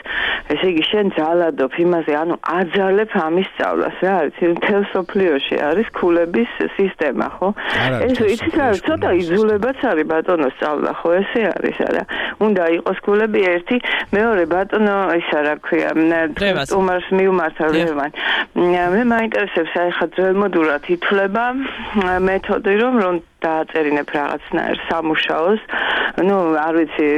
[SPEAKER 10] ესე იგი შენ ძალადობ იმაზე, ანუ აძალებ ამის სწავლას რა არის, მთელ სოფლიოში არის ქულების სისტემა, ხო? ეს იცით რა, ცოტა იძულებაც არის ბატონო სწავლა, ხო ესე არის არა? უნდა იყოს ქულები ერთი, მეორე ბატონო ისა რა ქვია, სტუმარს მიუმართა ლევან. მე მაინტერესებს აი ხა ძველმოდურად ითვლება მეთოდი რომ რომ დააწერინებ რაღაცნაირ სამუშაოს, ну, არ ვიცი,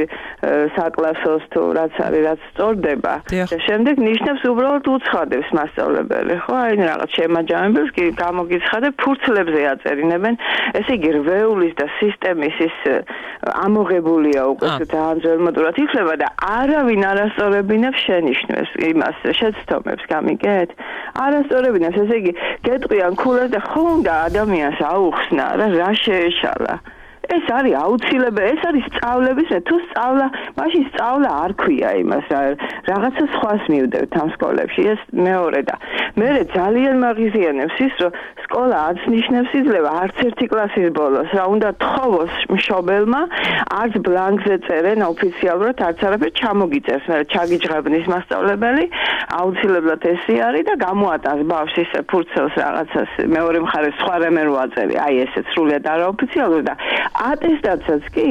[SPEAKER 10] საკლასოს თუ რაც არის, რაც სწორდება. და შემდეგ ნიშნებს უბრალოდ უცხადებს მასწავლებელი, ხო? აი რაღაც შემაჯამებელს კი გამოგიცხადებ, ფურცლებზე აწერინებენ. ესე იგი რვეულის და სისტემის ის ამოღებულია უკვე ძალიან ძველმოდურად ითვლება და არავინ არასწორებინებს შენიშვნებს იმას შეცდომებს, გამიგეთ? არასწორებინებს, ესე იგი გეტყვიან ქულას და ხო უნდა ადამიანს აუხსნა რა რა შეეშალა. ეს არის აუცილებელი, ეს არის სწავლების, თუ სწავლა, მაშინ სწავლა არ ქვია იმას, რაღაცა სხვას მივდევთ ამ სკოლებში, ეს მეორე და მერე ძალიან მაღიზიანებს ის, რომ სკოლა არც ნიშნებს იძლევა არც ერთი კლასის ბოლოს, რა უნდა თხოვოს მშობელმა, არც ბლანკზე წერენ ოფიციალურად, არც არაფერ ჩამოგიწერს, მერე ჩაგიჯღებნის მასწავლებელი, აუცილებლად ესე არის და გამოატანს ბავშვს ის ფურცელს რაღაცას, მეორე მხარეს სხვა რამე რო აწერი, აი ესე სრულიად არაოფიციალურად და ატესტაცაც კი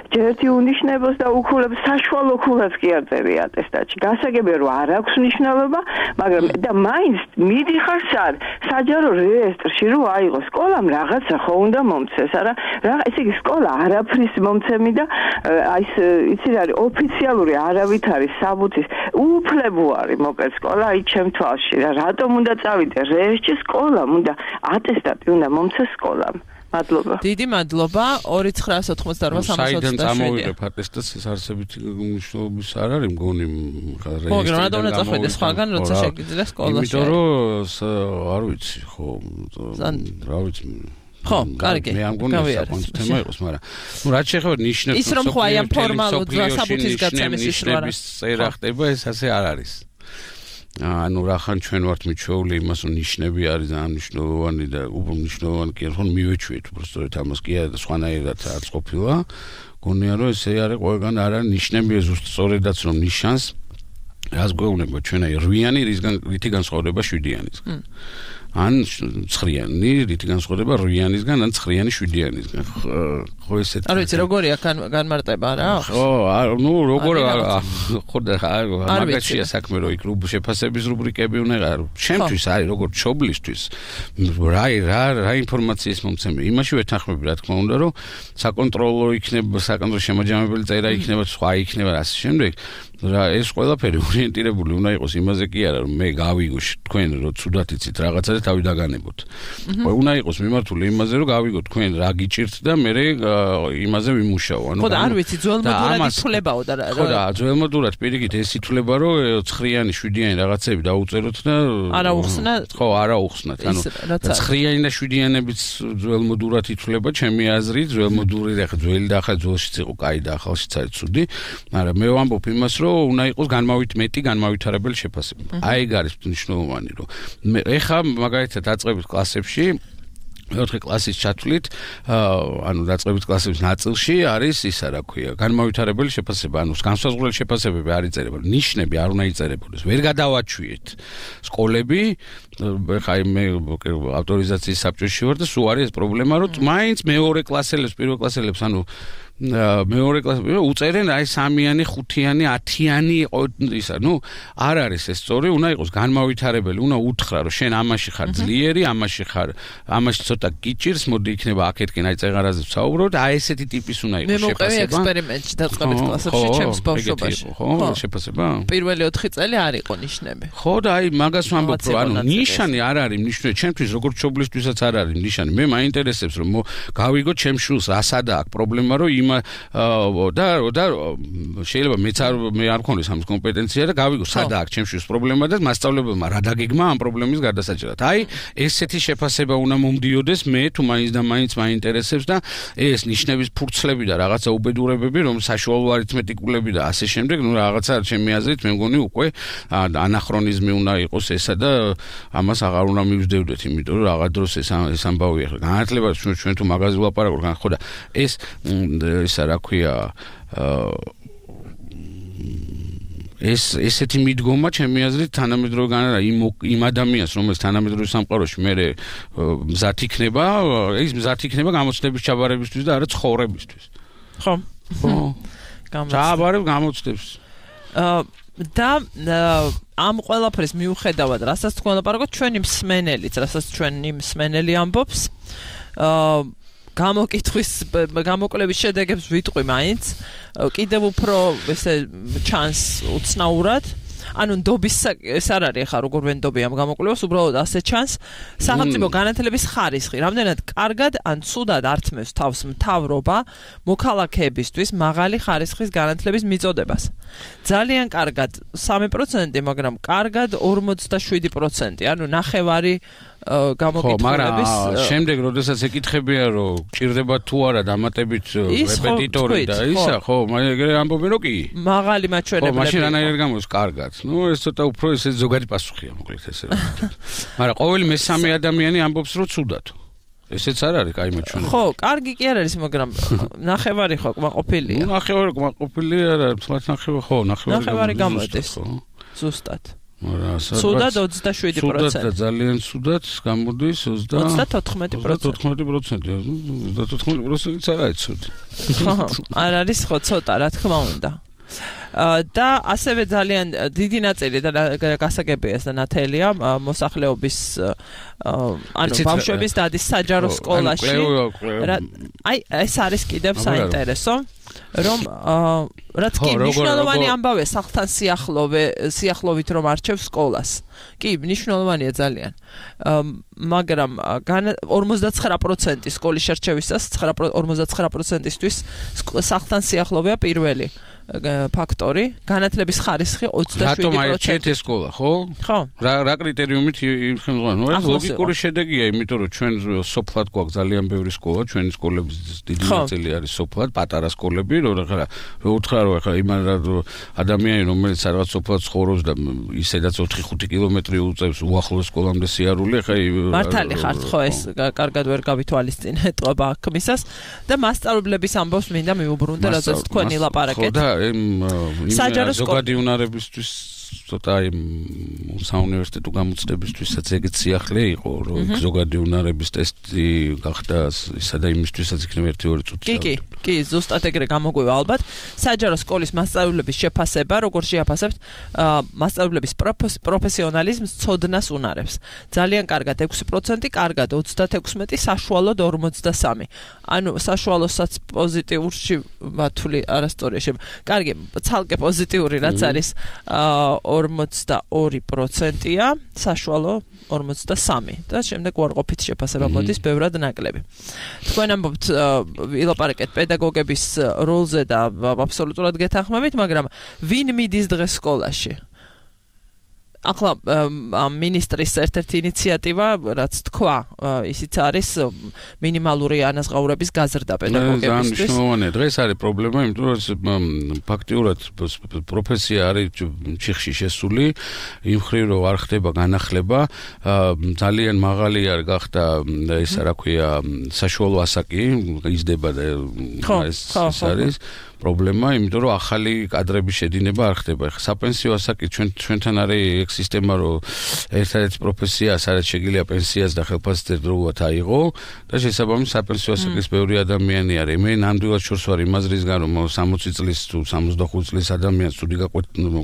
[SPEAKER 10] ჯერთი უნიშნებოს და უქულებს საშუალო ქულაც კი არ წერი ატესტატში. გასაგებია რომ არ აქვს მნიშვნელობა, მაგრამ და მაინც მიდიხარ სად საჯარო რეესტრში რომ აიღო სკოლამ რაღაცა ხო უნდა მომცეს, არა? რა ესე იგი სკოლა არაფრის მომცემი და აი ეს იცი რა არის ოფიციალური არავით არის საბუთის უფლებო არის მოკლედ სკოლა აი ჩემ თვალში რა რატომ უნდა წავიდე რეესტრში სკოლამ უნდა ატესტატი უნდა მომცეს სკოლამ. მადლობა.
[SPEAKER 2] დიდი მადლობა. ორი ცხრაას ოცდაოთხმოცდაორბა სამოცდაშვიდი.
[SPEAKER 3] საიდან წამოვიღებ ატესტატს ეს არსებითი მნიშვნელობის არ არის მგონი
[SPEAKER 2] რეესტრიდან. ხო, მაგრამ უნდა წახვიდე სხვაგან, როცა შეგიძლია სკოლაში.
[SPEAKER 3] იმიტომ რომ არ ვიცი, ხო, რა ვიცი.
[SPEAKER 2] ხო, კარგი.
[SPEAKER 3] მე ამ გონი საკონცერტო თემა იყოს, მაგრამ ნუ რაც შეეხება ნიშნებს,
[SPEAKER 2] ის რომ ხო აი ამ ფორმალურ საბუთის გაცემის ის რა არის.
[SPEAKER 3] წერა ხდება, ეს ასე არ არის. ანუ რახან ჩვენ ვართ მიჩვეული იმას რომ ნიშნები არის ძალიან მნიშვნელოვანი და უბრალოდ მნიშვნელოვანი კი რომ მივეჩვიეთ უბრალოდ ამას კი არა სხვანაირად არც ყოფილა გონია რომ ესე არის ყველგან არ არის ნიშნები ზუსტ სწორედაც რომ ნიშანს რას გვეუბნება ჩვენ აი რვიანი რისგან რითი განსხვავდება შვიდიანისგან ან ცხრიანი რითი განსხვავდება რვიანისგან ან ცხრიანი შვიდიანისგან ხო ესეთ
[SPEAKER 2] არ ვიცი როგორია განმარტება რა
[SPEAKER 3] ხო ნუ როგორ ხო და მაგაშია საქმე რომ იქ შეფასების რუბრიკები უნდა იყოს ჩემთვის არის როგორ ჩობლისთვის რა რა რა ინფორმაციის მომცემი იმაში ვეთანხმები რა თქმა უნდა რომ საკონტროლო იქნება საკონტროლო შემაჯამებელი წერა იქნება სხვა იქნება ასე შემდეგ რა ეს ყველაფერი ორიენტირებული უნდა იყოს იმაზე კი არა რომ მე გავიგო თქვენ რომ ცუდად იცით რაღაცა და თავი დაგანებოთ. უნდა იყოს მიმართული იმაზე რომ გავიგო თქვენ რა გიჭირთ და მე იმაზე ვიმუშაო.
[SPEAKER 2] ანუ ხო და არ ვიცი ძველმოდურად ითვლებაო და
[SPEAKER 3] ხო და ძველმოდურად პირიქით ეს ითვლება რომ ცხრიანი შვიდიანი რაღაცები დაუწეროთ და
[SPEAKER 2] არა უხსნა
[SPEAKER 3] ხო არა უხსნათ. ანუ ცხრიანი და შვიდიანებიც ძველმოდურად ითვლება ჩემი აზრით ძველმოდური რა ძველი და ახლა ძველშიც იყო კაი და ახალშიც არის ცუდი. მაგრამ მე ვამბობ იმას რომ უნდა იყოს განმავით მეტი განმავითარებელი შეფასება. აი ეგ არის მნიშვნელოვანი რომ მე ეხა მაგალითად დაწყებით კლასებში მეოთხე კლასის ჩათვლით ანუ დაწყებით კლასების ნაწილში არის ისა რა ქვია განმავითარებელი შეფასება ანუ განსაზღვრელი შეფასებები არ იწერება ნიშნები არ უნდა იწერებოდეს ვერ გადავაჩვიეთ სკოლები ეხა მე ავტორიზაციის საბჭოში ვარ და სულ არის ეს პრობლემა რომ მაინც მეორე კლასელებს პირველ კლასელებს ანუ მეორე კლასი უწერენ აი სამიანი, ხუთიანი, ათიანი ისა, ნუ არ არის ეს სწორი, უნდა იყოს განმავითარებელი, უნდა უთხრა რომ შენ ამაში ხარ ძლიერი, ამაში ხარ, ამაში ცოტა გიჭირს, მოდი იქნება აქეთკენ აი წეღარაზე ვსაუბროთ, აი ესეთი ტიპის უნდა იყოს
[SPEAKER 2] შეფასება. მე მოვყევი ექსპერიმენტში დაწყებით კლასებში, ჩემს ბავშვობაში.
[SPEAKER 3] ხო, შეფასება?
[SPEAKER 2] პირველი ოთხი წელი არ იყო ნიშნები.
[SPEAKER 3] ხო და აი მაგას ვამბობ, რომ ანუ ნიშანი არ არის ნიშნები, ჩემთვის როგორც ჩობლისთვისაც არ არის ნიშანი. მე მაინტერესებს რომ გავიგო ჩემ შულს რა სადა აქვს პრობლემა რომ და და შეიძლება მეც არ მე არ მქონდეს ამ კომპეტენცია და გავიგო სადა აქვს ჩემშვილს პრობლემა და მასწავლებელმა რა დაგეგმა ამ პრობლემის გარდასაჭერად. აი ესეთი შეფასება უნდა მომდიოდეს მე თუ მაინც და მაინც მაინტერესებს და ეს ნიშნების ფურცლები და რაღაცა უბედურებები რომ საშუალო არითმეტიკულები და ასე შემდეგ ნუ რაღაცა ჩემი აზრით მე მგონი უკვე ანახრონიზმი უნდა იყოს ესა და ამას აღარ უნდა მივსდევდეთ იმიტომ რომ რაღაც დროს ეს ეს ამბავი ახლა განათლება ჩვენ თუ მაგაზე ვლაპარაკობთ ხო და ეს ისა რა ქვია ეს ესეთი მიდგომა ჩემი აზრით თანამედროვე განადა იმ იმ ადამიანს რომელიც თანამედროვე სამყაროში მე მზად იქნება ის მზად იქნება გამოცდების ჩაბარებისთვის და არა ცხოვრებისთვის
[SPEAKER 2] ხო
[SPEAKER 3] ხო ჩაბარებ გამოცდებს
[SPEAKER 2] და ამ ყველაფრის მიუხედავად რასაც თქვენ ლაპარაკობთ ჩვენი მსმენელიც რასაც ჩვენი მსმენელი ამბობს აა გამოკითხვის გამოკვლევის შედეგებს ვიტყვი მაინც კიდევ უფრო ესე ჩანს უცნაურად ანუ ნდობის ეს არ არის ახლა როგორ ვენდობი ამ გამოკვლევას უბრალოდ ასე ჩანს სახელმწიფო განათლების ხარისხი რამდენად კარგად ან ცუდად ართმევს თავს მთავრობა მოქალაქეებისთვის მაღალი ხარისხის განათლების მიწოდებას ძალიან კარგად სამი პროცენტი მაგრამ კარგად ორმოცდაშვიდი პროცენტი ანუ ნახევარი გამოკითხულების
[SPEAKER 3] შემდეგ როდესაც ეკითხებია რომ ჭირდება თუ არა დამატებით რეპეტიტორი და ისა ხო მაგერე ამბობენ რომ კი
[SPEAKER 2] მაღალი მაჩვენებლები
[SPEAKER 3] ხო მაშინ რანაირად გამოდის კარგად ნუ ეს ცოტა უფრო ესე ზოგადი პასუხია მოკლედ ესე მაგრამ ყოველი მესამე ადამიანი ამბობს რომ ცუდად ესეც არ არის კაი მაჩვენებელი
[SPEAKER 2] ხო კარგი კი არ არის მაგრამ ნახევარი ხო კმაყოფილია
[SPEAKER 3] ნუ ნახევარი კმაყოფილია არა თუმცა ნახევარი ხო
[SPEAKER 2] ნახევარი გამოდის ზუსტად სუდად ოცდაშვიდი პროცენტი.
[SPEAKER 3] სუდად ძალიან სუდად გამოდის
[SPEAKER 2] ოცდათოთხმეტი
[SPEAKER 3] პროცენტი. ოცდათოთხმეტი პროცენტიც არ არის ცუდი.
[SPEAKER 2] ხო, არ არის ხო ცოტა, რა თქმა უნდა. და ასევე ძალიან დიდი ნაწილი და გასაგებია და ნათელია მოსახლეობის ანუ ბავშვების დადის საჯარო სკოლაში. აი ეს არის კიდევ საინტერესო. რომ რაც კი მნიშვნელოვანი ამბავე სახლთან სიახლოვე სიახლოვით რომ არჩევს სკოლას. კი, მნიშვნელოვანია ძალიან. მაგრამ ორმოცდაცხრა პროცენტი სკოლის შერჩევისას ორმოცდაცხრა პროცენტისთვის სახლთან სიახლოვეა პირველი. ფაქტორი, განათლების ხარისხი ოცდაშვიდი პროცენტი.
[SPEAKER 3] რატომ აირჩიეთ ეს სკოლა, ხო?
[SPEAKER 2] ხო.
[SPEAKER 3] რა რა კრიტერიუმით იხმება? ეს ლოგიკური შედეგია, იმიტომ რომ ჩვენ სოფლად გვაქვს ძალიან ბევრი სკოლა, ჩვენი სკოლების დიდი ნაწილი არის სოფლად, პატარა სკოლები, რომ რა რო უთხრა რომ ახლა იმან ადამიანი რომელიც რაღაც სოფლად ცხოვრობს და ისედაც ოთხი ხუთი კილომეტრი უწევს უახლოს სკოლამდე სიარული, ახლა
[SPEAKER 2] მართალი ხართ ხო ეს კარგად ვერ გავითვალისწინე ეტყობა აქმისას და მასწავლებლების ამბავს მინდა მიუბრუნდე, რადგან თქვენი ლაპარაკეთ.
[SPEAKER 3] ხო და იმ ზოგადი უნარებისთვის ცოტა იმ საუნივერსიტეტო გამოცდებისთვისაც ეგეც სიახლე იყო, რომ ზოგადი უნარების ტესტი გახდა ისა და იმისთვისაც იქნება ერთი ორი წუთი.
[SPEAKER 2] კი, კი, კი, ზუსტად ეგრე გამოგვივა ალბათ. საჯარო სკოლის მასწავლებლების შეფასება, როგორ შეაფასებთ მასწავლებლების პროფესიონალიზმს, ცოდნას, უნარებს. ძალიან კარგად ექვსი პროცენტი, კარგად ოცდათექვსმეტი, საშუალოდ ორმოცდასამი. ანუ საშუალოსაც პოზიტიურში ვათვლი არასტორიაში. კარგი, ცალკე პოზიტიური რაც არის ორმოცდაორი პროცენტია, საშუალო ორმოცდასამი და შემდეგ უარყოფით შეფასება მოდის ბევრად ნაკლები. თქვენ ამბობთ ვილაპარაკეთ პედაგოგების როლზე და აბსოლუტურად გეთანხმებით, მაგრამ ვინ მიდის დღეს სკოლაში? ახლა მინისტრის ერთ-ერთი ინიციატივა, რაც თქვა, ისიც არის მინიმალური ანაზღაურების გაზრდა პედაგოგებისთვის.
[SPEAKER 3] მნიშვნელოვანია. დღეს არის პრობლემა, იმიტომ რომ ფაქტიურად პროფესია არის ჩიხში შესული, იმ ხრივ რომ არ ხდება განახლება, ძალიან მაღალი არ გახდა ესა რა ქვია, საშუალო ასაკი, იზრდება და ეს არის პრობლემა, იმიტომ რომ ახალი კადრების შედინება არ ხდება. ეხლა საპენსიო ასაკი ჩვენ ჩვენთან არის ეგ სისტემა, რომ ერთადერთი პროფესია, სადაც შეგიძლია პენსიას და ხელფასზე დროულად აიღო და შესაბამისად საპენსიო ასაკის ბევრი ადამიანი არის. მე ნამდვილად შორს ვარ იმ აზრისგან, რომ სამოცი წლის თუ სამოცდახუთი წლის ადამიანს ცუდი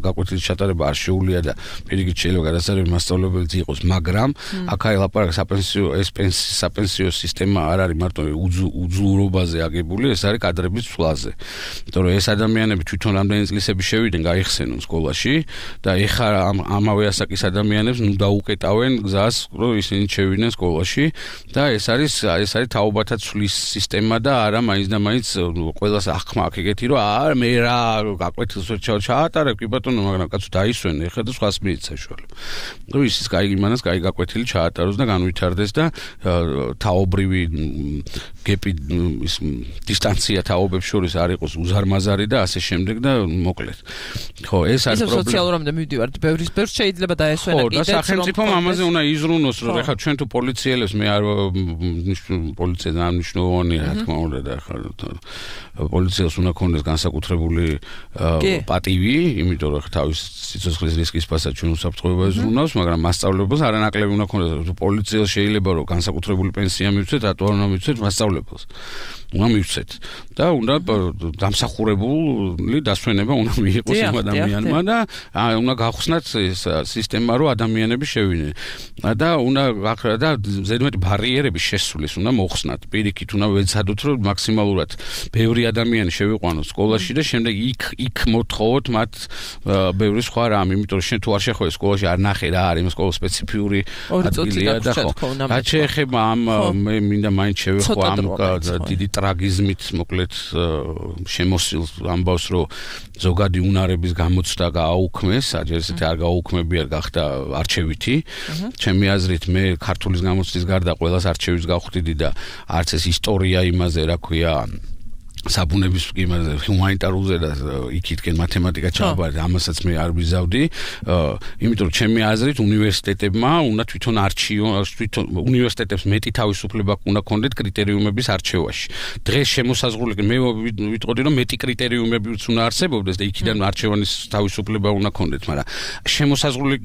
[SPEAKER 3] გაკვეთილის ჩატარება არ შეუძლია და პირიქით შეიძლება გადასარევი მასწავლებელიც იყოს, მაგრამ აქ არის ლაპარაკი საპენსიო ეს პენსიის საპენსიო სისტემა არ არის მარტო უძლურობაზე აგებული, ეს არის კადრების ცვლაზე. იმიტომ რომ ეს ადამიანები თვითონ რამდენი წლისები შევიდნენ გაიხსენონ სკოლაში და ეხლა ამავე ასაკის ადამიანებს ნუ დაუკეტავენ გზას, რომ ისინი შევიდნენ სკოლაში და ეს არის ეს არის თაობათა ცვლის სისტემა და არა მაინც და მაინც ყველას ახმა აქ ეგეთი რომ არა მე რა გაკვეთილს ვერ ჩაატარებ კი ბატონო, მაგრამ კაცო დაისვენ ეხლა და სხვას მიიც საშუალება. რომ ისიც კაი იმანას კაი გაკვეთილი ჩაატაროს და განვითარდეს და თაობრივი გეპი ის დისტანცია თაობებს შორის არ იყოს უზარმაზარი და ასე შემდეგ და მოკლედ. ხო, ეს არის პრობლემა.
[SPEAKER 2] ეს სოციალურამდე მივდივართ, ბევრის ბევრს შეიძლება დაესვენა კიდეც.
[SPEAKER 3] ხო, და სახელმწიფომ ამაზე უნდა იზრუნოს, რომ ეხლა ჩვენ თუ პოლიციელებს მე არ პოლიცია ძალიან მნიშვნელოვანია, რა თქმა უნდა და ეხლა პოლიციას უნდა ქონდეს განსაკუთრებული პატივი, იმიტომ რომ თავის სიცოცხლის რისკის ფასად ჩვენ უსაფრთხოება იზრუნავს, მაგრამ მასწავლებელს არანაკლები უნდა ქონდეს. პოლიციას შეიძლება რომ განსაკუთრებული პენსია მივცეთ, რატო არ უნდა მივცეთ მასწავლებელს? უნდა მივცეთ და უნდა დამსახურებული დასვენება უნდა მიიღოს იმ ადამიანმა და უნდა გავხსნათ ეს სისტემა, რომ ადამიანები შევიდნენ და უნდა გახრა და ზედმეტი ბარიერები შესulis უნდა მოხსნათ. პირიქით უნდა ვეცადოთ, რომ მაქსიმალურად ბევრი ადამიანი შევიყვანოთ სკოლაში და შემდეგ იქ იქ მოთხოვოთ მათ ბევრი სხვა რამ, იმიტომ რომ შენ თუ არ შეხვედრ სკოლაში არ ნახე რა არის სკოლა სპეციფიური ადგილია და ხო. რაც შეეხება ამ მე მინდა მაინც შევეხო ამ დიდი ტრაგიზმით მოკლედ შემოსილ ამბავს, რომ ზოგადი უნარების გამოცდა გააუქმეს, აჯერ ესეთი არ გააუქმებიარ გახდა არჩევითი. ჩემი აზრით მე ქართულის გამოცდის გარდა ყველას არჩევის გავხდიდი და არც ეს ისტორია იმაზე, რა ქვია, საბუნების იმაზე ჰუმანიტარულზე და იქითკენ მათემატიკა ჩავაბარეთ, ამასაც მე არ ვიზავდი, იმიტომ რომ ჩემი აზრით უნივერსიტეტებმა უნდა თვითონ არჩიონ, თვითონ უნივერსიტეტებს მეტი თავისუფლება უნდა ქონდეთ კრიტერიუმების არჩევაში. დღეს შემოსაზღვრული მე ვიტყოდი, რომ მეტი კრიტერიუმებიც უნდა არსებობდეს და იქიდან არჩევანის თავისუფლება უნდა ქონდეთ, მაგრამ შემოსაზღვრული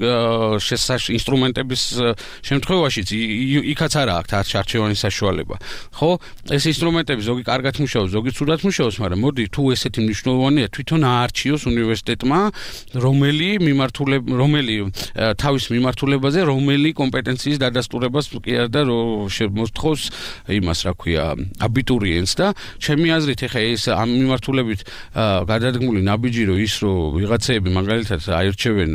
[SPEAKER 3] ინსტრუმენტების შემთხვევაშიც იქაც არა აქვს არჩევანის საშუალება. ხო, ეს ინსტრუმენტები ზოგი კარგად მუშაობს, ზოგი ცუდად მუშაობს, მაგრამ მოდი თუ ესეთი მნიშვნელოვანია თვითონ აარჩიოს უნივერსიტეტმა, რომელი მიმართულება, რომელი თავის მიმართულებაზე, რომელი კომპეტენციის დადასტურებას კი არ და შემოსთხოვს იმას, რა ქვია, აბიტურიენტს და ჩემი აზრით ეხა ეს ამ მიმართულებით გადადგმული ნაბიჯი რომ ის რომ ვიღაცეები მაგალითად აირჩევენ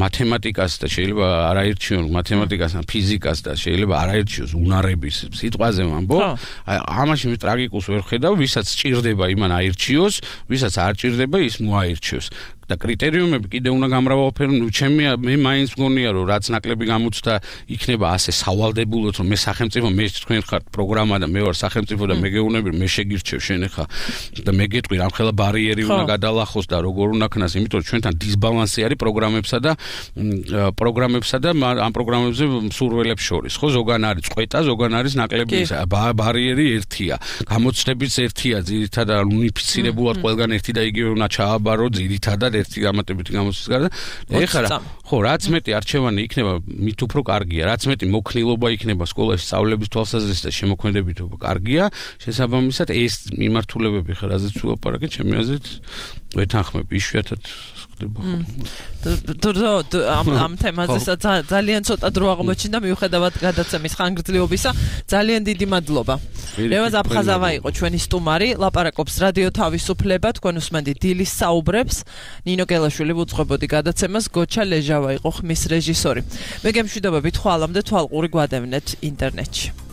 [SPEAKER 3] მათემატიკას და შეიძლება არ აირჩიონ მათემატიკას და ფიზიკას და შეიძლება არ აირჩიოს უნარების სიტყვაზე ვამბობ, ამაში მე ტრაგიკულს ვერ ხედავ, ვისაც ჭირდება იმან აირჩიოს, ვისაც არ ჭირდება ის მოაირჩიოს. და კრიტერიუმები კიდე უნდა გამრავალფერო, ნუ ჩემი მე მაინც მგონია რომ რაც ნაკლები გამოცდა იქნება ასე სავალდებულოდ რომ მე სახელმწიფო მე თქვენ ხართ პროგრამა და მე ვარ სახელმწიფო და მე გეუბნები მე შეგირჩევ შენ ხა და მე გეტყვი რამხელა ბარიერი უნდა გადალახოს და როგორ უნდა ქნას, იმიტომ რომ ჩვენთან დისბალანსი არის პროგრამებსა და პროგრამებსა და ამ პროგრამებზე მსურველებს შორის. ხო, ზოგან არის წყვეტა, ზოგან არის ნაკლები ბარიერი ერთია. გამოცდებიც ერთია, ძირითადად უნიფიცირებულად ყველგან ერთი და იგივე უნდა ჩააბარო ძირითადად ერთი გამატებითი გამოცდის გარდა. ეხლა ხო, რაც მეტი არჩევანი იქნება, მით უფრო კარგია. რაც მეტი მოქნილობა იქნება სკოლაში სწავლების თვალსაზრისით და შემოქმედებით კარგია. შესაბამისად ეს მიმართულებები ხარ აზრით ვლაპარაკე, ჩემი აზრით ვეთანხმები იშვიათად ხდება.
[SPEAKER 2] თუ ამ ამ თემაზე ძალიან ცოტა დრო აღმოჩნდა მიუხედავად გადაცემის ხანგრძლივობისა. ძალიან დიდი მადლობა. რევაზ აფხაზავა იყო ჩვენი სტუმარი, ლაპარაკობს რადიო თავისუფლება, თქვენ უსმენთ დილის საუბრებს. ნინო გელაშვილი უძღვებოდი გადაცემას, გოჩა ლეჟავა იყო ხმის რეჟისორი. მე გემშვიდობებით ხვალამდე თვალყური გვადევნეთ ინტერნეტში.